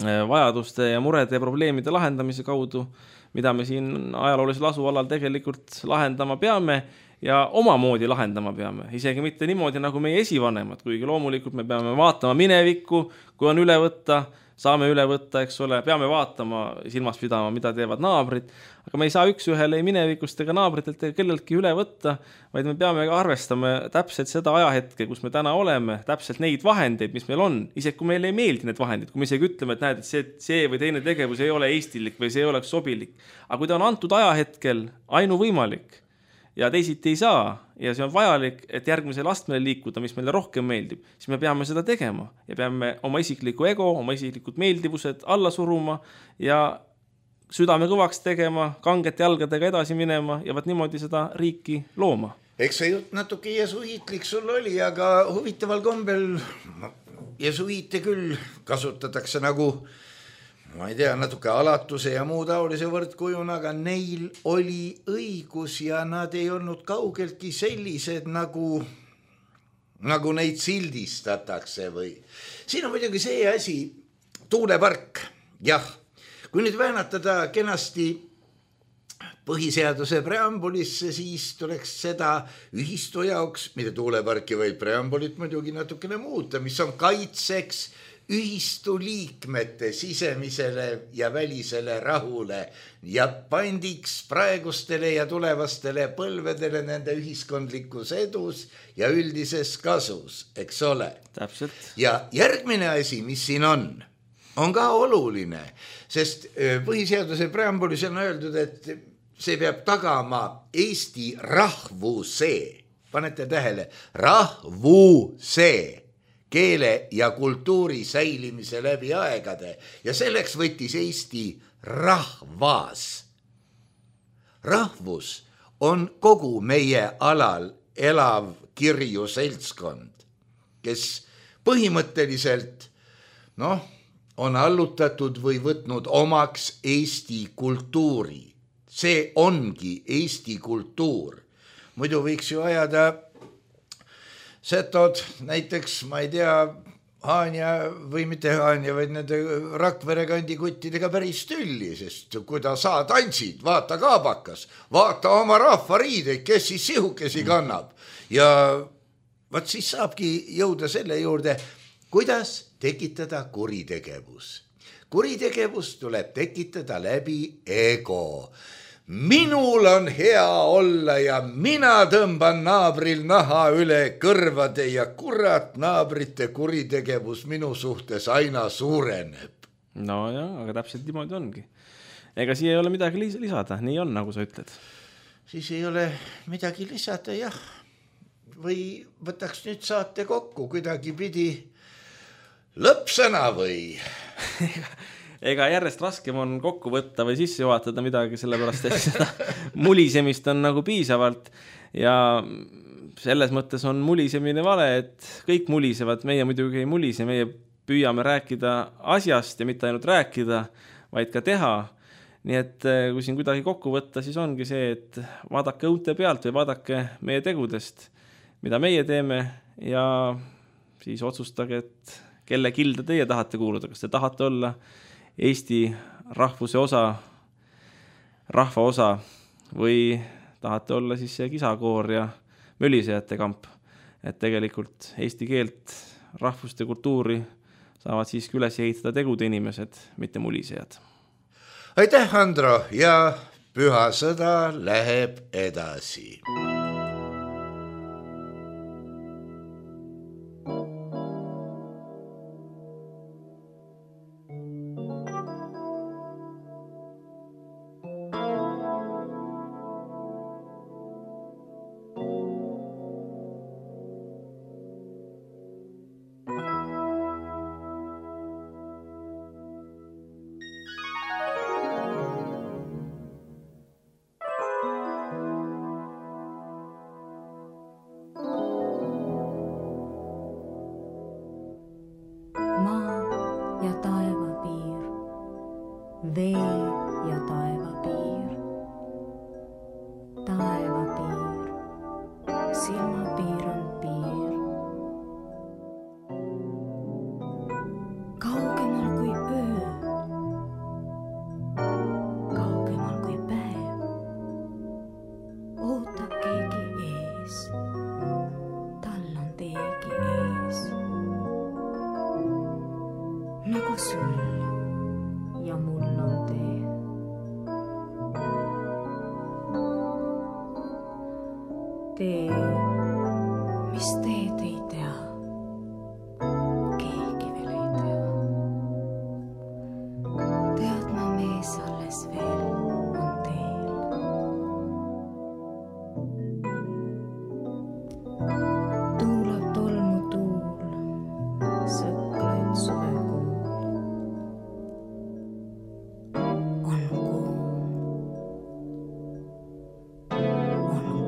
vajaduste ja murede ja probleemide lahendamise kaudu, mida me siin ajaloolisel asualal tegelikult lahendama peame ja omamoodi lahendama peame. Isegi mitte niimoodi nagu meie esivanemad, kuigi loomulikult me peame vaatama minevikku, kui on üle võtta saame üle võtta, eks ole, peame vaatama, silmas pidama, mida teevad naabrid, aga me ei saa üks ühele ei minevikust ega naabritelt ega kelleltki üle võtta, vaid me peame ka arvestama täpselt seda ajahetke, kus me täna oleme, täpselt neid vahendeid, mis meil on, isegi kui meile ei meeldi need vahendid, kui me isegi ütleme, et näed, et see või teine tegevus ei ole eestilik või see ei oleks sobilik, aga kui ta on antud ajahetkel ainuvõimalik ja teisiti ei saa ja see on vajalik, et järgmisele astmele liikuda, mis meile rohkem meeldib, siis me peame seda tegema ja peame oma isikliku ego, oma isiklikud meeldivused alla suruma ja südame kõvaks tegema, kangete jalgadega edasi minema ja vaat niimoodi seda riiki looma. Eks see jutt natuke jesuiitlik sul oli, aga huvitaval kombel jesuiite küll kasutatakse nagu ma ei tea, natuke alatuse ja muu taolise võrdkujuna, aga neil oli õigus ja nad ei olnud kaugeltki sellised, nagu neid sildistatakse või. Siin on muidugi see asi, tuulepark, jah, kui nüüd väänatada kenasti põhiseaduse preambulisse, siis tuleks seda ühistu jaoks, mitte tuuleparki, vaid preambulit muidugi natukene muuta, mis on kaitseks ühistu liikmete sisemisele ja välisele rahule ja pandiks praegustele ja tulevastele põlvedele nende ühiskondlikus edus ja üldises kasus, eks ole. Täpselt. Ja järgmine asi, mis siin on ka oluline, sest põhiseaduse preambulis on öeldud, et see peab tagama Eesti rahvuse, panete tähele, rahvuse, keele ja kultuuri säilimise läbi aegade ja selleks võttis Eesti rahvas. Rahvus on kogu meie alal elav kirju seltskond, kes põhimõtteliselt on allutatud või võtnud omaks Eesti kultuuri. See ongi Eesti kultuur. Muidu võiks ju ajada setod näiteks, ma ei tea, Haanja või mitte Haanja, vaid nende Rakvere kandi kuttidega päris tülli, sest kui ta sa tantsid, vaata kaabakas, vaata oma rahva riideid, kes siis sihukesi kannab. Ja vaat siis saabki jõuda selle juurde, kuidas tekitada kuritegevus. Kuritegevus tuleb tekitada läbi ego. Minul on hea olla ja mina tõmban naabril naha üle kõrvade ja kurat naabrite kuritegevus minu suhtes aina suureneb. No jah, aga täpselt niimoodi ongi. Ega siia ei ole midagi lisada, nii on, nagu sa ütled. Siis ei ole midagi lisada, jah. Või võtaks nüüd saate kokku, kuidagi pidi lõppsõna või... Ega järjest raskem on kokku võtta või sisse juhatada midagi, sellepärast et seda mulisemist on nagu piisavalt ja selles mõttes on mulisemine vale, et kõik mulisevad, meie muidugi ei mulise, meie püüame rääkida asjast ja mitte ainult rääkida, vaid ka teha. Nii et kui siin kuidagi kokku võtta, siis ongi see, et vaadake õunte pealt või vaadake meie tegudest, mida meie teeme ja siis otsustage, et kelle kilda teie tahate kuuluda, kas te tahate olla Eesti rahvuse osa, rahva osa või tahate olla siis see kisakoor ja mölisejate kamp, et tegelikult eesti keelt, rahvust ja kultuuri saavad siiski üles ehitada tegude inimesed, mitte mulisejad. Aitäh, Andro, ja püha sõda läheb edasi. nagu sul ja mul on tee. Tee, mis teed ei tea, keegi veel ei tea. Teadma mees alles veel on teel. Tuulab tolmu tuul, sõklaid suvekuul. On kuu, on kuu.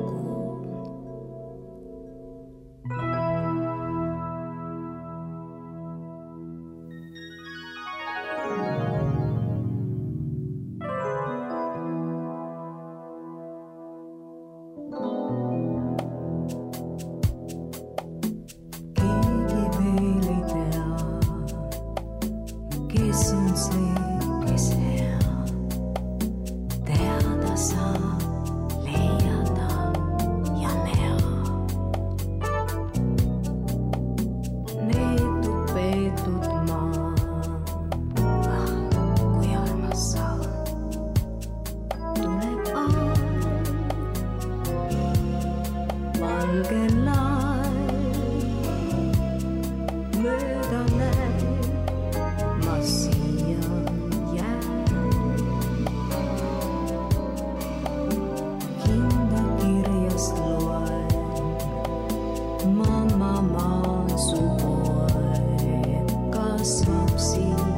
Keegi veel ei tea, kes on see, kes hea. Teada saab, leiada ja näha. Neetud peetud maa, kui armas saab. Tuleb aeg, valge laev, mööda näeb, ma siia jään. Hinda kirjast loen, mamma maasu poeg kasvab siin,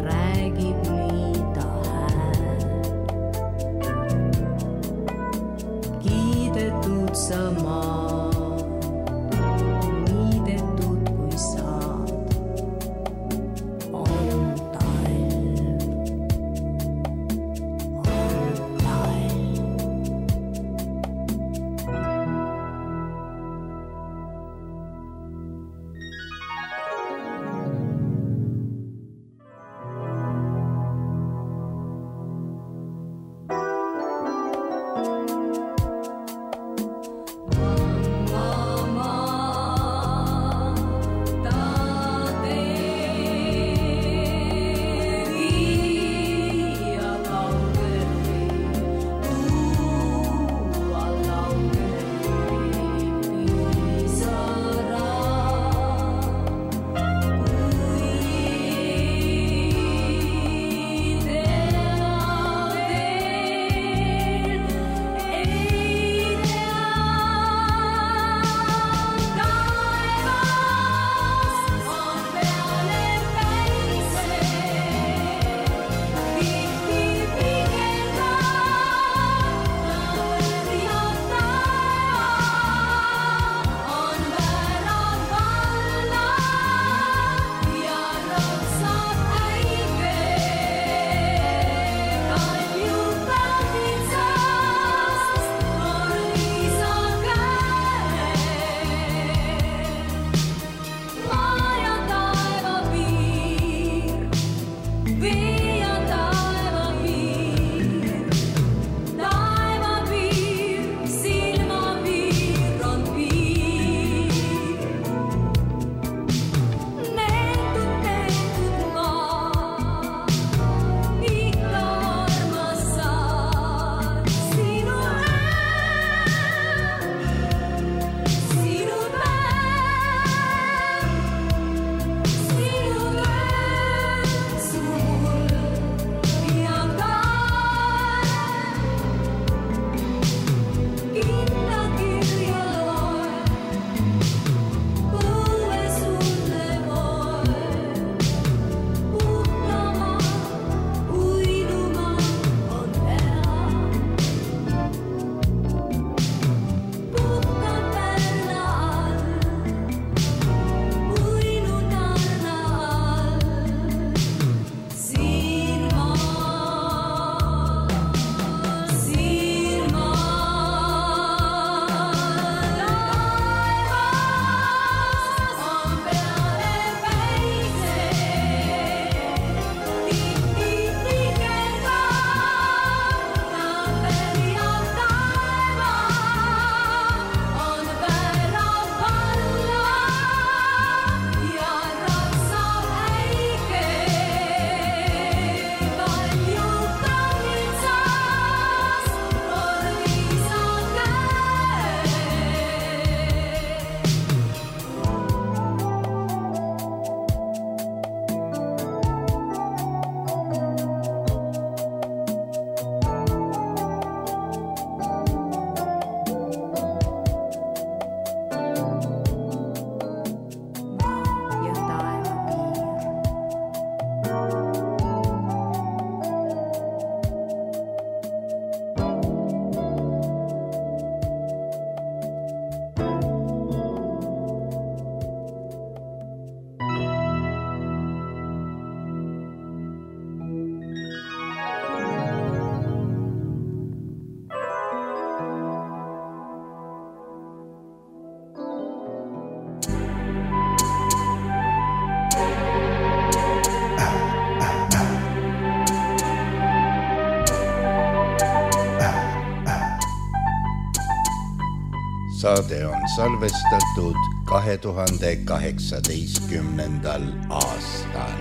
räägib nii ta hääl. Kiidetud sa maa, niidetud kui saad. On talv, on talv. Saade on salvestatud 2018. aastal.